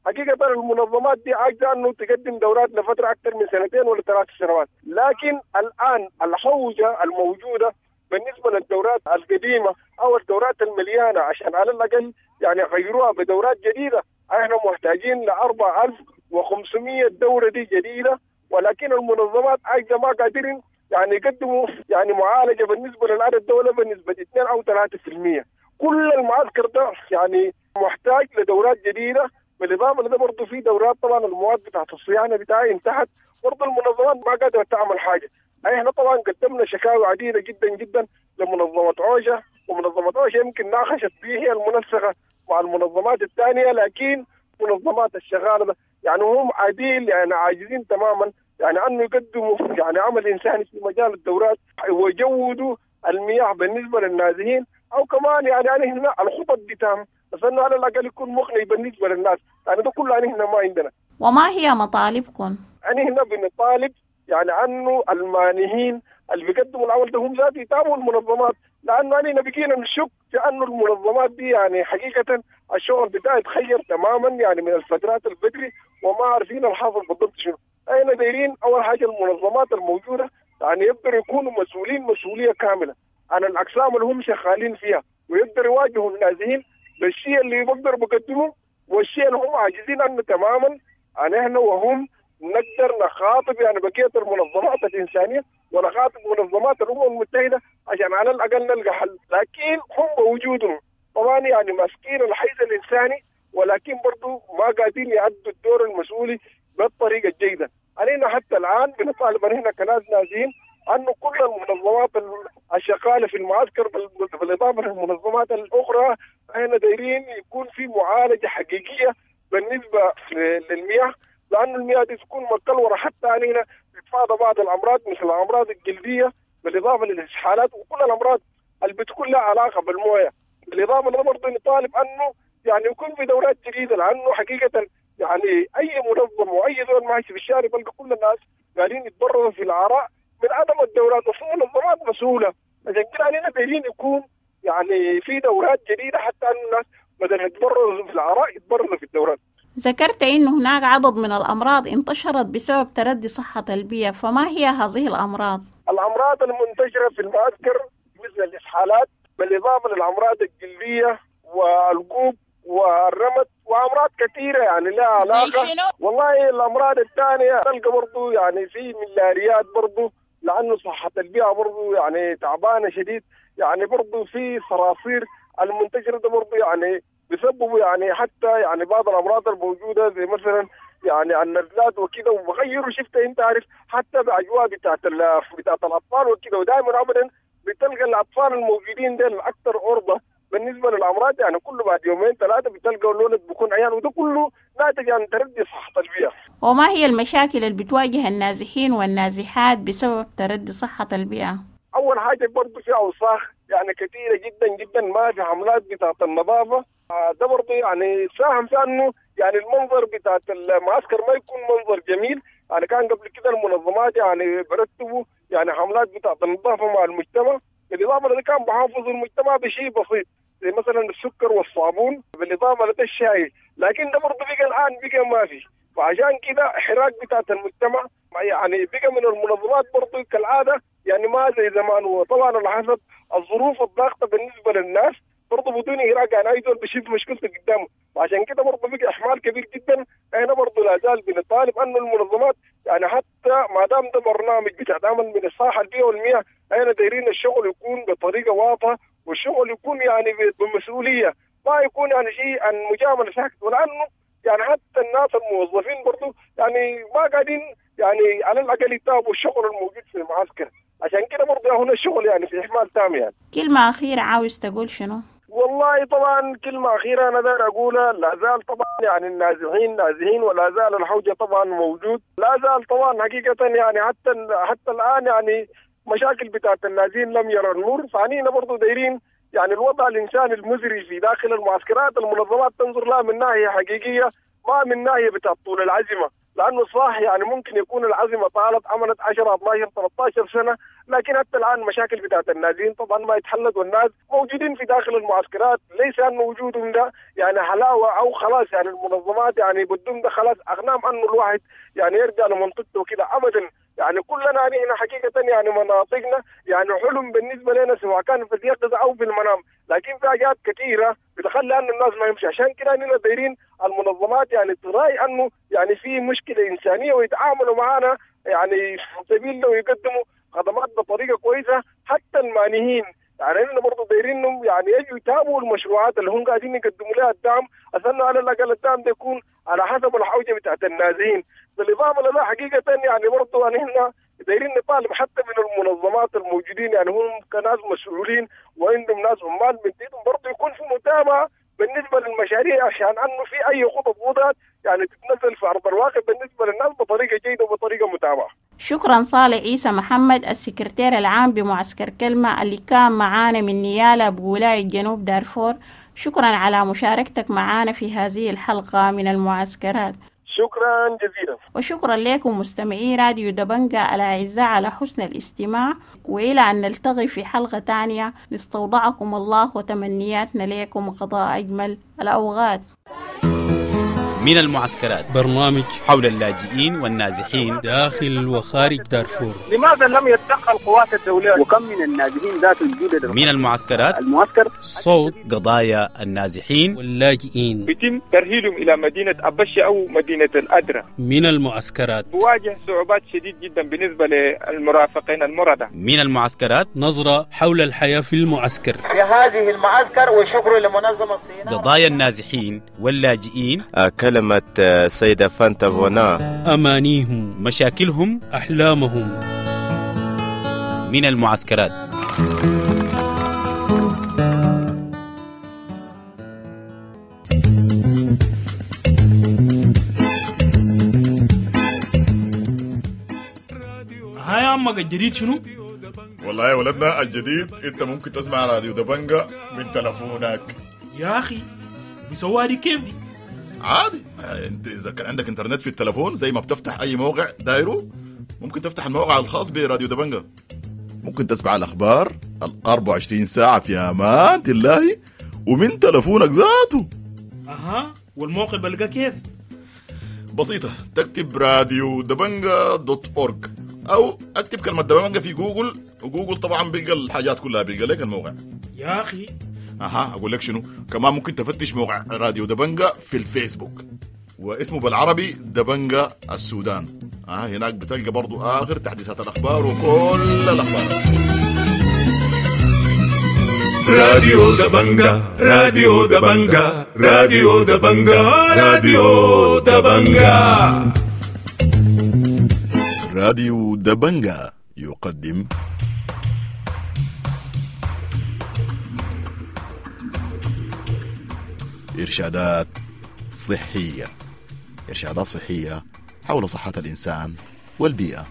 حقيقة المنظمات دي عاجزة أنه تقدم دورات لفترة أكثر من 2 ولا 3 سنوات، لكن الآن الحوجة الموجودة بالنسبة للدورات القديمة أو الدورات المليانة عشان على الأقل يعني غيروها بدورات جديدة، احنا محتاجين ل 4500 دورة دي جديدة، ولكن المنظمات عاجزة ما قادرين يعني يقدموا يعني معالجة بالنسبة للعدد الدولة بنسبة 2 أو 3%. كل المعسكر ده يعني محتاج لدورات جديدة. بالإضافة لده برضه في دورات طبعا المواد بتاعت الصيانة بتاعي انتهت، برضه المنظمات ما قادرة تعمل حاجة. احنا طبعا قدمنا شكاوي عديدة جدا جدا لمنظمة عوجة، ومنظمة عوجة يمكن ناقشت به هي المنسقة مع المنظمات الثانية، لكن منظمات الشغالة ده يعني هم عديل يعني عاجزين تماما يعني أنه يقدموا يعني عمل إنساني في مجال الدورات ويجودوا المياه بالنسبة للنازحين. او كمان يعني هنا الخطط بتاعهم، بس انه على الاقل يكون مقنع بالنسبة للناس. يعني ده كله يعني هنا ما عندنا. وما هي مطالبكم؟ يعني هنا بنطالب يعني انه المانحين اللي بيقدموا العمل ده هم ذات يتابعوا المنظمات، لانه يعني بقينا نشك في انه المنظمات دي يعني حقيقة الشغل بتاعها يتغير تماما يعني من الفترات البدري، وما عارفين الحاصل بالضبط شنو. احنا دايرين اول حاجة المنظمات الموجودة يعني يقدروا يكونوا مسؤولين مسؤولية كاملة عن الاقسام اللي هم شغالين فيها، ويقدروا يواجهوا النازحين بالشيء اللي بيقدروا بيقدموه والشيء اللي هم عاجزين عنه تماما. يعني احنا وهم نقدر نخاطب يعني بقية المنظمات الانسانية ونخاطب منظمات الامم المتحدة عشان على الاقل نلقى حل. لكن هم بوجودهم طبعا يعني ماسكين الحيز الانساني، ولكن برضو ما قادرين يأدوا الدور المسؤولي بالطريقة الجيدة. علينا حتى الان بنطالب هنا كناس نازحين انه كل المنظمات الشغاله في المعسكر بالاضافة للمنظمات الاخرى احنا دايرين يكون في معالجة حقيقية بالنسبة للمياه، لأن المياه دي تكون مكلورة حتى علينا بتتفادى بعض الأمراض مثل الأمراض الجلدية، بالإضافة للإسهالات وكل الأمراض اللي بتكون لها علاقة بالموية. بالإضافة لده برضه نطالب أنه يعني يكون في دورات جديدة، لأنه حقيقة يعني أي منظم وأي زول ماشي في الشارع بلقى كل الناس قاعدين يتضرروا في العراء من عدم الدورات، وفي منظمات مسؤولة. عشان كده علينا دايرين يكون يعني في دورات جديدة حتى أن الناس بدل يتضرروا في العراء يتضرروا في الدورات. ذكرت أن هناك عدد من الأمراض انتشرت بسبب تردي صحة البيئة، فما هي هذه الأمراض؟ الأمراض المنتشرة في المعسكر مثل الإسهالات، بالإضافة للأمراض الجلدية والقوب والرمد وأمراض كثيرة يعني لها علاقة. والله الأمراض الثانية تلقى برضو يعني في ملاريات برضو، لأنه صحة البيئة برضو يعني تعبانة شديد. يعني برضو في صراصير المنتشرة ده برضو يعني بيسببوا يعني حتى يعني بعض الامراض الموجودة زي مثلا يعني النزلات وكده، وبغيروا شفت انت عارف حتى باجواء بتاعت الاطفال وكده. ودائما ابدا بتلقى الاطفال الموجودين ديل اكثر عرضه بالنسبة للامراض، يعني كله بعد يومين ثلاثة بتلقى الولد بيكون عيان، وده كله ناتج عن تردي صحة البيئة. وما هي المشاكل اللي بتواجه النازحين والنازحات بسبب تردي صحة البيئة؟ اول حاجة برضه في اوساخ يعني كثيرة جدا جدا، ما في حملات بتاعت النظافة. ده برضه يعني ساهم في انه يعني المنظر بتاعت المعسكر ما يكون منظر جميل. يعني كان قبل كده المنظمات يعني برتبوا يعني حملات بتاعت النظافة مع المجتمع، بالاضافة لده كان بحافظ المجتمع بشيء بسيط زي مثلا السكر والصابون، بالاضافة لده الشاي، لكن ده برضه بقى الان بقى ما في. فعشان كده حراك بتاعت المجتمع يعني بقى من المنظمات برضه كالعادة يعني ما زي زمان. وطبعا على حسب الظروف الضاغطه بالنسبة للناس برضه بدون إراقة، يعني أي زول بيشوف مشكلته قدامه، وعشان كده برضه بقى إحمال كبير جدا. احنا برضه لا زال بنطالب أنه المنظمات يعني حتى ما دام ده برنامج بتعمل من الصحة البيئة والمياه، احنا دايرين الشغل يكون بطريقة واضحة، والشغل يكون يعني بمسؤولية، ما يكون يعني شيء عن مجاملة ساكت. ولأنه يعني حتى الناس الموظفين برضه يعني ما قاعدين يعني على الأقل يتابعوا الشغل الموجود في المعسكر، عشان كده برضه هنا الشغل يعني في إحمال تام. يعني كلمة أخيرة عاوز تقول شنو؟ والله طبعا كلمة أخيرة أنا داير أقولها، لا زال طبعا يعني النازحين نازحين، ولا زال الحوجة طبعا موجود، لا زال طبعا حقيقة يعني حتى الآن يعني مشاكل بتاعت النازحين لم يرى النور. فعنينا برضو دايرين يعني الوضع الإنساني المزري في داخل المعسكرات المنظمات تنظر لها من ناحية حقيقية، ما من ناحية بتاعت طول العزمة، لأنه صح يعني ممكن يكون العزمة طالت عملت 10 12 13 سنة، لكن حتى الآن مشاكل بتاعت النازحين طبعا ما يتحلت، والناس موجودين في داخل المعسكرات، ليس أنه وجودهم ده يعني حلاوة أو خلاص يعني المنظمات يعني بدهم ده خلاص أغنام أنه الواحد يعني يرجع لمنطقته وكده أبدا. يعني كلنا يعني هنا حقيقة يعني مناطقنا يعني حلم بالنسبة لنا سواء كان في اليقظة أو في المنام، لكن في حاجات كثيرة بتخلي أن الناس ما يمشي. عشان كده إننا دايرين المنظمات يعني تراعي أنه يعني في مشكلة إنسانية ويتعاملوا معنا يعني في سبيل لو يقدموا خدمات بطريقة كويسة. حتى المانحين يعني إننا برضه دايرينهم يعني يجوا يتابعوا المشروعات اللي هم قاعدين يقدموا لها الدعم، عشان على الأقل الدعم ده يكون على حسب الحوجة بتاعت النازحين. بالإضافة لده حقيقة يعني برضه يعني إحنا دايرين نطالب حتى من المنظمات الموجودين يعني هم كناس مسؤولين وعندهم ناس عمال من برضه يكون في متابعة بالنسبة للمشاريع، عشان انه في اي خطط وضعت يعني تتنزل في ارض الواقع بالنسبة للناس بطريقة جيدة وبطريقة متابعه. شكرا صالح عيسى محمد السكرتير العام بمعسكر كلمة اللي كان معانا من نيالا بولاية جنوب دارفور. شكرا على مشاركتك معانا في هذه الحلقة من المعسكرات. شكرا جزيلا. وشكرا لكم مستمعي راديو دبنجة الأعزاء على حسن الاستماع، وإلى أن نلتقي في حلقة تانية نستودعكم الله وتمنياتنا لكم قضاء أجمل الأوقات. من المعسكرات، برنامج حول اللاجئين والنازحين داخل وخارج دارفور. لماذا لم يتدخل القوات الدولية؟ وكم من النازحين ذات الجدد من المعسكرات، المعسكر صوت قضايا النازحين واللاجئين بيتم ترهيلهم إلى مدينة أبشة أو مدينة الأدرة. من المعسكرات بواجه صعوبات شديد جدا بالنسبة للمرافقين المرضى. من المعسكرات، نظرة حول الحياة في المعسكر في هذه المعسكر. وشكر لمنظمة الصينية. قضايا النازحين واللاجئين، كلمة سيدة فانتا فونا، أمانيهم، مشاكلهم، أحلامهم. من المعسكرات. هاي عمك الجديد شنو؟ والله يا ولدنا الجديد انت ممكن تسمع راديو دبنجة من تلفونك. يا اخي بيسووها دي كيف دي؟ عادي، انت اذا كان عندك انترنت في التلفون زي ما بتفتح اي موقع دايرة ممكن تفتح الموقع الخاص براديو دبنجة، ممكن تسمع الاخبار ال 24 ساعة في امان الله ومن تلفونك ذاته. اها، والموقع بلقى كيف؟ بسيطة، تكتب راديو دبنجة dot org او اكتب كلمة دبنجة في جوجل، وجوجل طبعا بيلقى الحاجات كلها، بيلقى لك الموقع. يا اخي اها، اقول لك شنو كمان، ممكن تفتش موقع راديو دبنجة في الفيسبوك واسمه بالعربي دبنجة السودان. هناك بتلقى برضو اخر تحديثات الاخبار وكل الاخبار. راديو دبنجة، راديو دبنجة، راديو دبنجة، راديو دبنجة. راديو دبنجة يقدم إرشادات صحية، إرشادات صحية حول صحة الإنسان والبيئة.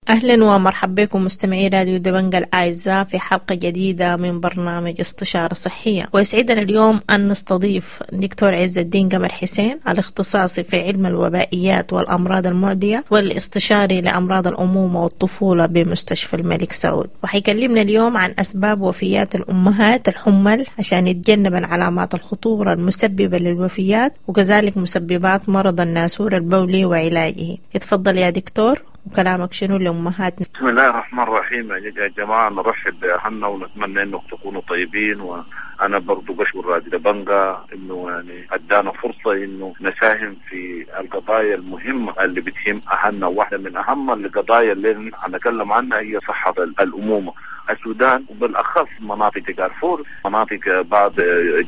أهلا ومرحبا بكم مستمعي راديو دبنجة الأعزاء في حلقة جديدة من برنامج استشارة صحية. ويسعدنا اليوم أن نستضيف دكتور عز الدين قمر حسين، الاختصاصي في علم الوبائيات والأمراض المعدية والاستشاري لأمراض الأمومة والطفولة بمستشفى الملك سعود، وحيكلمنا اليوم عن أسباب وفيات الأمهات الحمل عشان يتجنبن علامات الخطورة المسببة للوفيات، وكذلك مسببات مرض الناسور البولي وعلاجه. اتفضل يا دكتور، وكلامك شنو لأمهاتنا؟ بسم الله الرحمن الرحيم. يا جماعة نرحب بأهلنا ونتمنى أنكم تكونوا طيبين. وأنا برضو بشكر راديو دبنجة إنه يعني أدانا فرصة إنه نساهم في القضايا المهمة اللي بتهم أهلنا. واحدة من أهم القضايا اللي هنتكلم عنها هي صحة الأمومة. السودان وبالأخص مناطق دارفور، مناطق بعض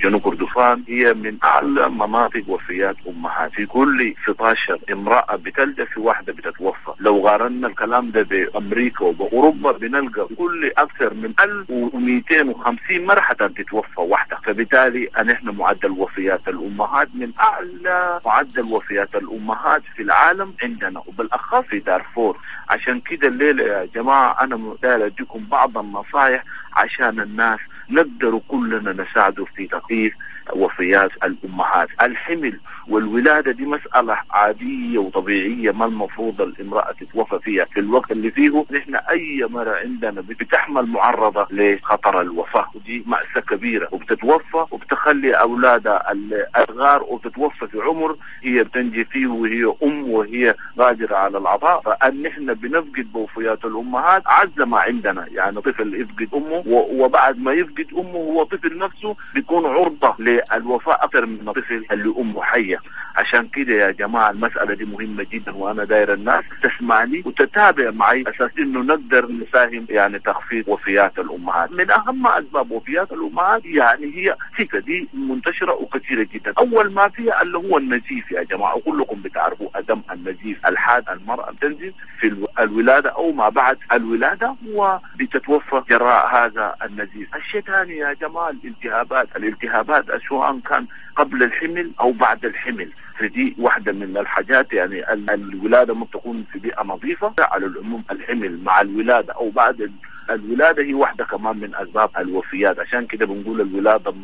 جنوب كردفان، هي من أعلى مناطق وفيات أمهات. في كل 16 امرأة بتلد في واحدة بتتوفى. لو قارنا الكلام ده بأمريكا وبأوروبا بنلقى كل أكثر من 1250 مرة حتى تتوفى واحدة. فبالتالي نحن معدل وفيات الأمهات من أعلى معدل وفيات الأمهات في العالم عندنا، وبالأخص في دارفور. عشان كده الليلة يا جماعة أنا داير أديكم بعض النصائح عشان الناس نقدر كلنا نساعده في تخفيف وفيات الأمهات. الحمل والولادة دي مسألة عادية وطبيعية، ما المفروض الامرأة تتوفى فيها في الوقت اللي فيه نحن أي مرة عندنا بتحمل معرضة لخطر الوفاة، ودي مأساة كبيرة، وبتتوفى وبتخلي أولادها الأصغار، وبتتوفى في عمر هي بتنجي فيه وهي أم وهي قادرة على العطاء. فأن نحن بنفقد بوفيات الأمهات عز ما عندنا، يعني طفل يفقد أمه، وبعد ما يفقد أمه هو طفل نفسه بيكون عرضة للوفاة أكثر من الطفل اللي أمه حية. عشان كده يا جماعة المسألة دي مهمة جدا، وأنا داير الناس تسمعني وتتابع معي أساس إنه نقدر نساهم يعني تخفيض وفيات الأمهات. من أهم أسباب وفيات الأمهات يعني هي ستة، دي منتشرة وكثيرة جدا. أول ما فيها اللي هو النزيف يا جماعة، وكلكم بتعرفوا أدم النزيف الحاد، المرأة بتنزف في الولادة أو ما بعد الولادة وبتتوفى جراء هذا النزيف. الشيء الثاني يا جماعة الالتهابات، الالتهابات سواء كان قبل الحمل أو بعد الحمل، فدي واحدة من الحاجات. يعني الولادة ما بتكون في بيئة نظيفة، على العموم الحمل مع الولادة أو بعد الولادة هي واحدة كمان من أسباب الوفيات. عشان كده بنقول الولادة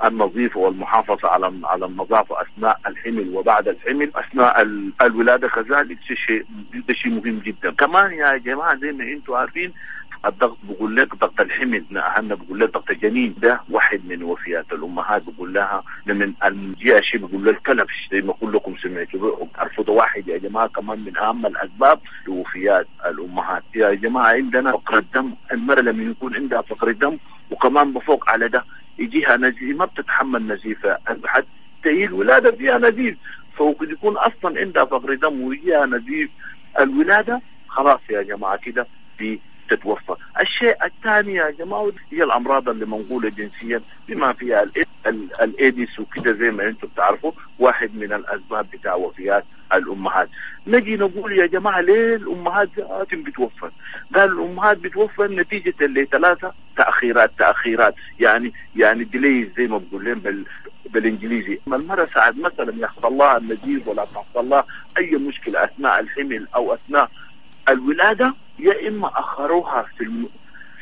النظيفة والمحافظة على النظافة أثناء الحمل وبعد الحمل أثناء الولادة كذلك شيء مهم جدا. كمان يا جماعة زي ما أنتم عارفين الضغط، بقول لك ضغط الحمل، أهلنا بقول لك ضغط الجنين، ده واحد من وفيات الأمهات. بقول لها من الجيش بقول لها الكلبش زي ما كلكم سمعتوا بتعرفوا، ده واحد يا جماعة كمان من أهم الأسباب لوفيات الأمهات. يا جماعة عندنا فقر الدم، المرأة لما يكون عندها فقر الدم وكمان بفوق على ده يجيها نزيف، ما بتتحمل نزيفة، حتى هي الولادة فيها نزيف، فوق يكون أصلا عندها فقر دم ويجيها نزيف الولادة، خلاص يا جماعة كده دي تتوفى. الشيء الثاني يا جماعة هي الأمراض اللي منقولة جنسيا بما فيها الإيدز وكده زي ما أنتم بتعرفوا، واحد من الأسباب بتاع وفيات الأمهات. نجي نقول يا جماعة ليه الأمهات بتوفى؟ قال الأمهات بتوفى نتيجة لثلاثة تأخيرات يعني ديلي زي ما بقول لهم بالإنجليزي. المرأة ساعات مثلا يحصل لها النزيف ولا تحصل لها أي مشكلة أثناء الحمل أو أثناء الولادة، يا إما أخروها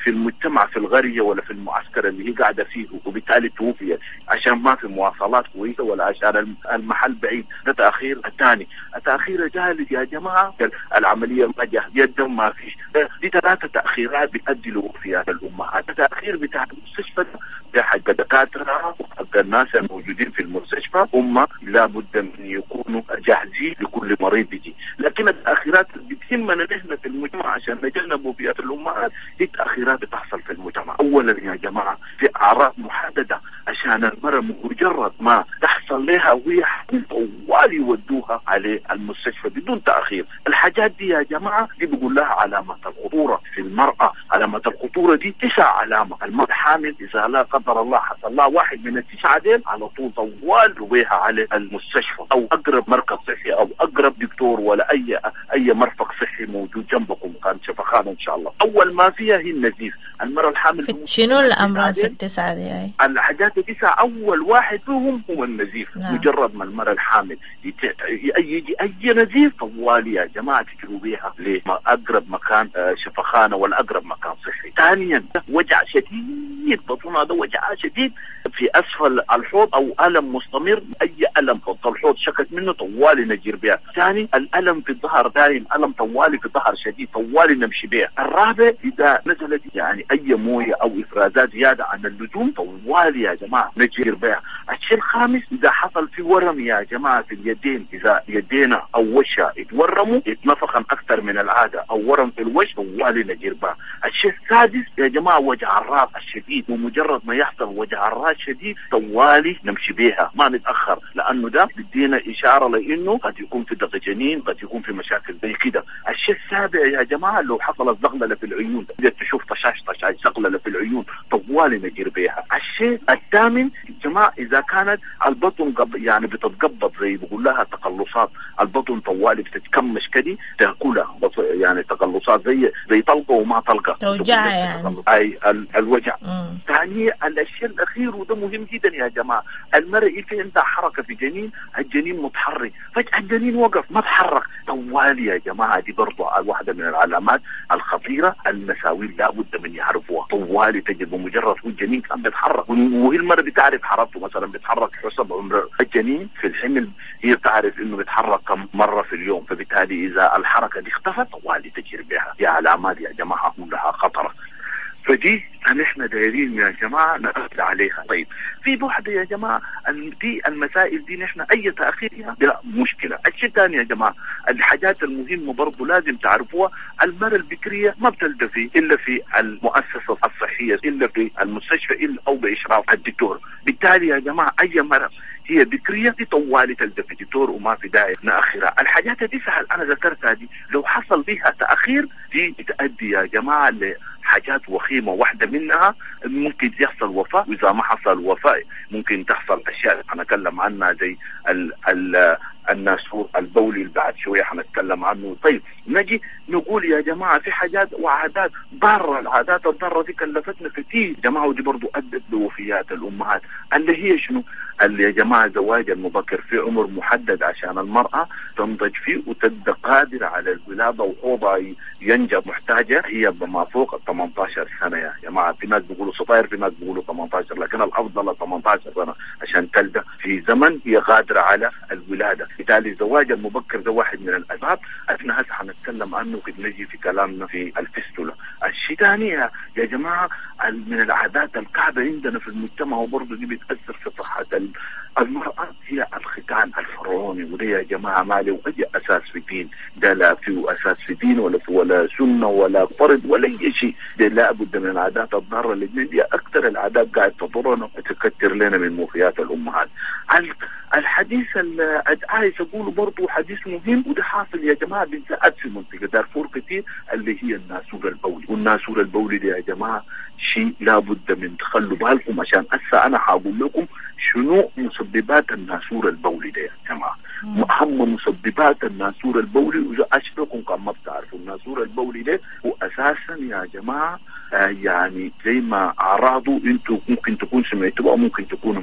في المجتمع في القرية ولا في المعسكر اللي هي قاعدة فيه وبالتالي توفيت عشان ما في مواصلات كويسة ولا عشان المحل بعيد. ده تأخير الثاني. التأخير الثالث يا جماعة العملية ما جاهزة، الدم ما فيش. دي ثلاثة تأخيرات بتؤدي لوفيات الأمهات. التأخير بتاع المستشفى ده حق الدكاترة وحق الناس الموجودين في المستشفى، هم لابد من يكونوا جاهزين لكل مريض بيجي. لكن التأخيرات اللي بتهمنا نحن في المجتمع عشان نتجنب وفيات الأمهات هي تأخيرات بتحصل في المجتمع. أولا يا جماعة في أعراض محددة عشان المرأة مجرد ما تحصل لها وهي حامل طوال يودوها على المستشفى بدون تأخير. الحاجات دي يا جماعة دي بيقول لها علامات الخطورة في المرأة. علامات الخطورة دي 9 علامة. المرأة حامل إذا لا قدر الله حصل لها واحد من ال9 ديل على طول طوال بيها على المستشفى أو أقرب مركز صحي أو أقرب دكتور ولا أي مرفق صحي موجود جنبكم، كان شفخانة إن شاء الله. أول ما فيها هي النزيف. المرأة الحامل شنو الأمراض في ال9 دي؟ الحاجات ال9 أول واحد فيهم هو النزيف. نعم. مجرد ما المرأة الحامل يجي أي نزيف طوالي يا جماعة تجروا بيها لأقرب مكان شفخانة ولا أقرب مكان صحي. ثانيا وجع شديد بطنها، ده وجع شديد في أسفل الحوض أو ألم مستمر، أي ألم في الحوض شكت منه طوالي نجير بها. ثاني الألم في الظهر، دائم ألم طوالي في الظهر شديد طوالي نمشي بها. الرابع إذا نزلت يعني أي موية أو إفرازات زيادة عن اللزوم طوالي يا جماعة نجير بها. الشيء الخامس إذا حصل في ورم يا جماعة في اليدين، إذا يدينا أو وشها اتورموا اتنفخا أكثر من العادة أو ورم في الوش طوالي نجير بها. الشيء السادس يا جماعة وجع الراس الشديد، ومجرد ما يحصل وجع الراس شديد طوالي نمشي بيها ما نتأخر، لأنه ده بدينا إشارة لأنه قد يكون في ضغط جنين، قد يكون في مشاكل زي كده. الشيء السابع يا جماعة لو حصلت زغللة في العيون، إذا تشوف طشاش طشاش زغللة في العيون طوالي نجير بيها. الشيء الثامن يا جماعة إذا كانت البطن يعني بتتقبض زي بقول لها تقلصات البطن طوالي بتتكمش كده تاكلها يعني تقلصات زي طلقة وما طلقة توجع يعني أي الوجع. ثاني الشيء الأخير وده مهم جدا يا جماعة، المرأة في عندها حركة في جنين، الجنين متحرك فجأة الجنين وقف ما تحرك طوالي يا جماعة، دي برضو واحدة من العلامات الخطيرة المساوين لابد من يعرفوها. طوالي تجد بمجرد هو الجنين كان بيتحرك، وهي المرأة بتعرف حركته مثلا بيتحرك حسب عمر الجنين في الحمل، هي بتعرف انه بيتحرك كم مرة في اليوم، فبالتالي اذا الحركة دي اختفت طوالي تجري بها. دي علامات يا جماعة كلها خطرة، فدي نحن دايرين يا جماعة نأكد عليها. طيب في بعد يا جماعة دي المسائل دي نحن أي تأخير ده مشكلة. الشيء الثاني يا جماعة الحاجات المهمة برضو لازم تعرفوها، المرأة البكرية ما بتلدى في إلا في المؤسسة الصحية، إلا في المستشفى، إلا أو بإشراف الدكتور. بالتالي يا جماعة أي مرأة هي بكرية دي طوالي تلدى في دكتور وما في داعي نأخرها. الحاجات دي سهل أنا ذكرتها دي لو حصل فيها تأخير دي بتأدي يا جماعة لحاجات وخيمة، واحدة منها ممكن يحصل وفاة، وإذا ما حصل وفاة ممكن تحصل أشياء هنتكلم عنها زي الناسور البولي اللي بعد شوية حنتكلم عنه. طيب نجي نقول يا جماعة في حاجات وعادات ضارة، العادات الضارة دي كلفتنا كتير يا جماعة، ودي برضو أدت لوفيات الأمهات، اللي هي شنو؟ اللي يا جماعة زواج المبكر في عمر محدد عشان المرأة تنضج فيه وتبقى قادرة على الولادة وحوضها ينجب، محتاجة هي بما فوق 18 سنة يا جماعة. في ناس بيقولوا 16، في ناس بيقولوا 18، لكن الأفضل 18 سنة عشان تلدى في زمن هي قادرة على الولادة. بالتالي الزواج المبكر ده واحد من الأسباب احنا هسه حنتكلم عنه كده نجي في كلامنا في الفستولة. الشيء ثاني يا جماعة من العادات الكعبة عندنا في المجتمع وبرضه دي بتأثر في صحة المرأة هي الختان الفرعوني، وده يا جماعة ما له أي أساس في دين، ده لا فيه أساس في دين ولا في ولا سنة ولا فرض ولا أي شيء، ده لا بد من العادات الضارة الاثنين دي أكثر العادات قاعد تضرنا وتكتر لنا من وفيات الأمهات. الحديث اللي عايز أقوله برضه حديث مهم وده حاصل يا جماعة بالذات في منطقة دارفور كتير، اللي هي الناسور البولي. والناسور البولي ده يا جماعة شيء لابد من تخلوا بالكم، عشان هسه أنا هقول لكم شنو مسببات الناسور البولي ده يا جماعة. أهم مسببات الناسور البولي، وإذا أشركم كان ما بتعرفوا الناسور البولي ده هو أساسا يا جماعة يعني زي ما أعراضه أنتوا ممكن تكون سمعتوا أو ممكن تكونوا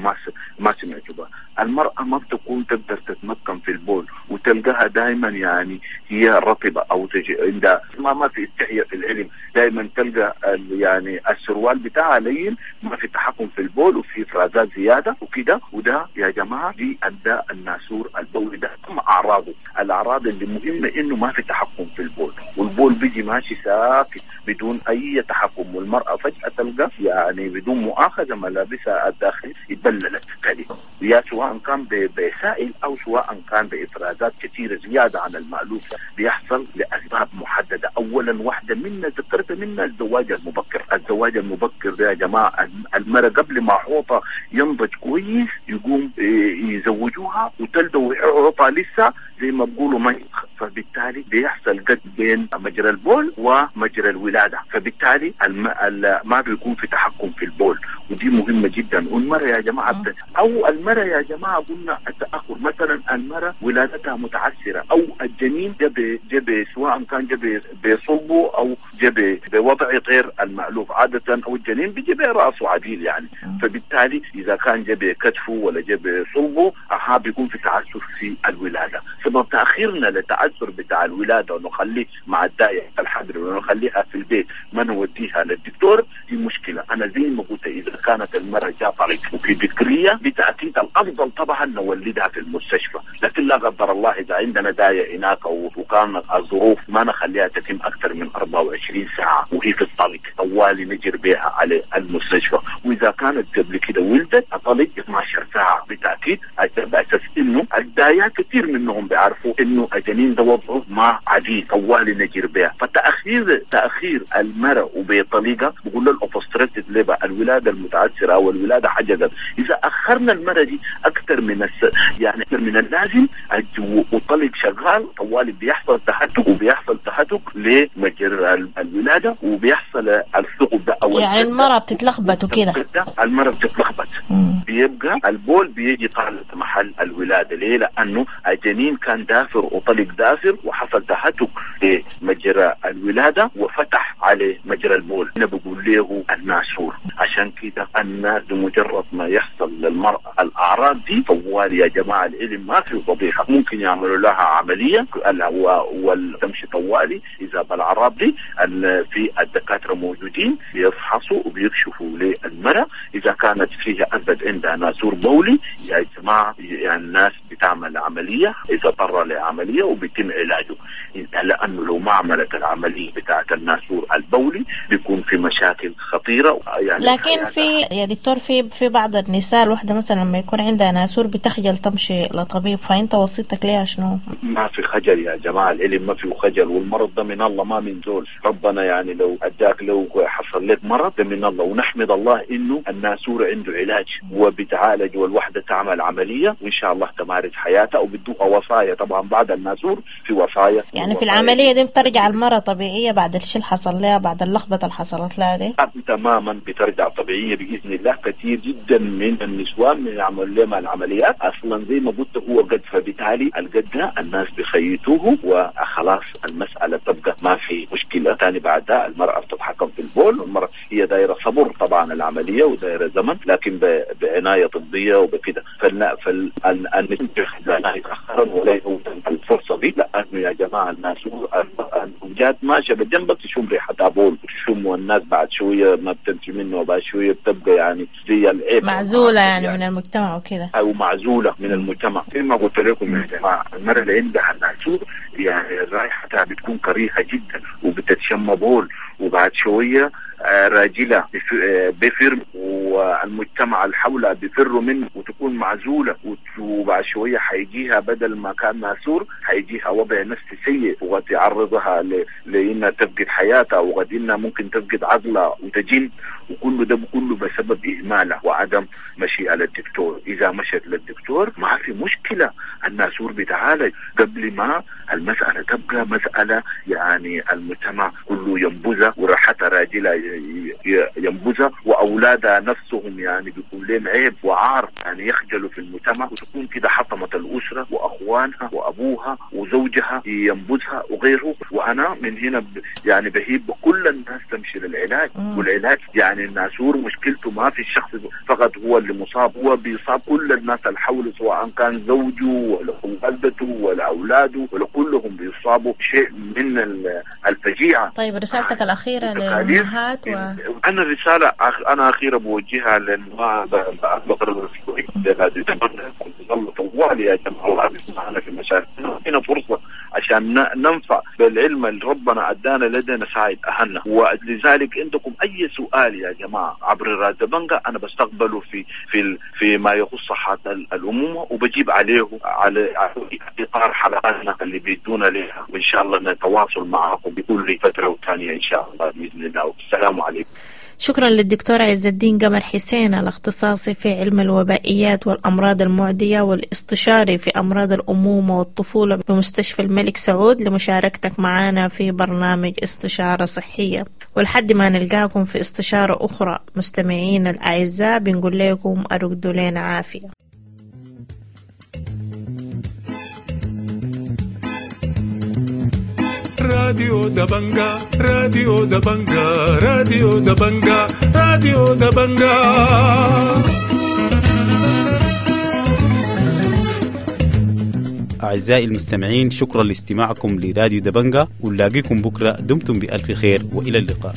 ما سمعتوا بها. المرأة ما بتكون تقدر تتمكن في البول، وتلقاها دائما يعني هي رطبة أو تجي عندها ما في استحياء في العلم، دائما تلقى يعني السروال بتاعها لين، ما في تحكم في البول وفي إفرازات زيادة وكده. وده يا جماعة دي أداء الناسور البولي ده أهم أعراضه. الأعراض اللي مهمة إنه ما في تحكم في البول، والبول بيجي ماشي ساكت بدون أي تحكم، والمرأة فجأة تلقى يعني بدون مؤاخذة ملابسها الداخلية اتبللت كده، يا سواء كان بسائل أو سواء كان بإفرازات كثيرة زيادة عن المألوف. بيحصل لأسباب محددة. أولا واحدة منا ذكرت منا الزواج المبكر. الزواج المبكر ده يا جماعة المرأة قبل ما حوطها ينضج كويس يقوم يزوجوها وتلدوا حوطها لسه زي ما بيقولوا ما، فبالتالي بيحصل قد بين مجرى البول ومجرى الولادة، فبالتالي ما بيكون في تحكم في البول، ودي مهمة جدا. والمرأة يا جماعة أو المرأة يا جماعة قلنا التأخر، مثلا المرأة ولادتها متعسرة أو الجنين جب سواء كان جب بصلبه أو جب بوضع غير المألوف عادة، أو الجنين بيجي برأسه عديل يعني، فبالتالي إذا كان جب كتفه ولا جب صلبه بيكون في تعسر في الولادة. سبب تأخيرنا للتعسر بتاع الولادة ونخليه مع الداية الحبر ونخليها في البيت ما نوديها للدكتور دي مشكلة. أنا زي ما قلت إذا كانت المرأة جاء طريق وفي بكرية بالتأكيد الأفضل طبعا نولدها في المستشفى، لكن لا قدر الله إذا عندنا داية هناك وكان الظروف ما نخليها تتم أكثر من 24 ساعة وهي في الطلق، طوالي نجر بها على المستشفى. وإذا كانت قبل كده ولدت أطلق 12 ساعة بالتأكيد، بأساس إنه الدايات كثير منهم بيعرفوا إنه الجنين ده وضعه ما عديد، طوالي نجر بها. فتأخير تأخير المرأة وبطريقة بقول له ال obstructed labor، الولادة المتعسرة أو الولادة حجزت، إذا أخرنا المرأة دي أكثر من يعني أكثر من اللازم وطلق شغال طوالي بيحصل تهتك، وبيحصل تهتك لمجرى الولادة وبيحصل الثقب ده أو يعني المرأة بتتلخبط وكده، المرأة بتتلخبط بيبقى البول بيجي طالع محل الولادة. ليه؟ لأنه الجنين كان دافر وطلق دافر وحصل تهتك لمجرى الولادة وفتح عليه مجرى البول، أنا بقول له الناسور. عشان كده الناس بمجرد ما يحصل للمرأة الأعراض دي طوال يا جماعة العلم ما في فضيحة، ممكن يعملوا لها عملية وتمشي طوالي. إذا بالأعراض دي في الدكاترة موجودين بيفحصوا وبيكشفوا للمرأة إذا كانت فيها أثبت عندها ناسور بولي يا جماعة، يعني الناس بتعمل عملية إذا اضطر لعملية وبيتم علاجه، لأنه لو ما عملت العملية بتاعة الناسور البولي بيكون في مشاكل خطيرة. خطيرة يعني. لكن في يا دكتور في بعض النساء الواحدة مثلا لما يكون عندها ناسور بتخجل تمشي لطبيب، فأنت وصيتك ليها شنو؟ ما في خجل يا جماعة، العلم ما فيه خجل، والمرض ده من الله ما من زول. ربنا يعني لو أداك، لو حصل لك مرض ده من الله، ونحمد الله إنه الناسور عنده علاج وبتعالج، والوحدة تعمل عملية وإن شاء الله تمارس حياتها، وبدوها وصايا طبعا بعد الناسور في وصايا. يعني في العملية دي بترجع المرأة طبيعية بعد الشيء اللي حصل لها، بعد اللخبطة اللي حصلت لها دي؟ تماما بترجع طبيعية بإذن الله. كثير جدا من النسوان يعمل لهم العمليات أصلا زي ما قلت هو قد، فبالتالي القد ده الناس بخيطوه وخلاص المسألة تبقى ما في مشكلة ثاني. بعدها المرأة بتتحكم في البول، والمرأة هي دايرة صبر طبعا العملية ودايرة زمن، لكن بعناية طبية وبكده. فالنساء يتأخرن ولا يفوتن الفرصة دي، لأنه يا جماعة الناس جات ماشية بجنبك تشم ريحة بول، تشم والناس بعد شوية ما بتمشي منه، وبعد شوية بتبقى يعني زي العيب، معزولة يعني من المجتمع وكده، أو معزولة من المجتمع. زي ما قلت لكم يا جماعة المرأة اللي عندها الناسور يعني رائحتها بتكون كريهة جدا وبتتشم بول، وبعد شوية راجلة بفر والمجتمع اللي حولها بفروا منه، وتكون معزولة، وبعد شوية حيجيها بدل ما كان ناسور حيجيها وضع نفسي سيء، وقد يعرضها لأنها تفقد حياتها، وقد إنها ممكن تفقد عقلها وتجن، وكل ده كله بسبب إهمالها وعدم مشيئة للدكتور. إذا مشت للدكتور ما في مشكلة، الناسور بيتعالج قبل ما المسألة تبقى مسألة يعني المجتمع كله ينبذها، وراحتها راجلها ينبذها، وأولادها نفسهم يعني بيكون لهم عيب وعار يعني يخجلوا في المجتمع، وتكون كده حطمت الأسرة وأخوانها وأبوها وزوجها ينبذها وغيره. وأنا من هنا يعني بهيب كل الناس تمشي للعلاج. والعلاج يعني الناسور مشكلته ما في الشخص فقط هو اللي مصاب، هو بيصاب كل الناس اللي حوله، سواء كان زوجه ولا والدته ولا أولاده ولا كلهم بيصابوا شيء من الفجيعة. طيب رسالتك الأخيرة للأمهات؟ أنا رسالة أنا أخيرة بوجهها لأنه بقرر طوال يا جماعة الله بيسمعنا في مشاكل، هنا فرصة عشان ننفع بالعلم اللي ربنا أدانا لدينا نساعد أهلنا. ولذلك عندكم أي سؤال يا جماعة عبر راديو دبنجا أنا بستقبله في في في ما يخص صحة الأمومة، وبجيب عليه على إطار حلقاتنا اللي بيدونا لها، وإن شاء الله نتواصل معكم بكل فترة وثانية إن شاء الله بإذن الله. السلام عليكم. شكرا للدكتور عز الدين قمر حسين الاختصاصي في علم الوبائيات والأمراض المعدية والاستشاري في أمراض الأمومة والطفولة بمستشفى الملك سعود لمشاركتك معنا في برنامج استشارة صحية. ولحد ما نلقاكم في استشارة أخرى مستمعين الأعزاء، بنقول لكم أرقدوا لنا عافية. راديو دبنجا، راديو دبنجا، راديو دبنجا، راديو دبنجا. أعزائي المستمعين، شكرا لاستماعكم لراديو دبنجا، ونلاقيكم بكرة. دمتم بألف خير وإلى اللقاء.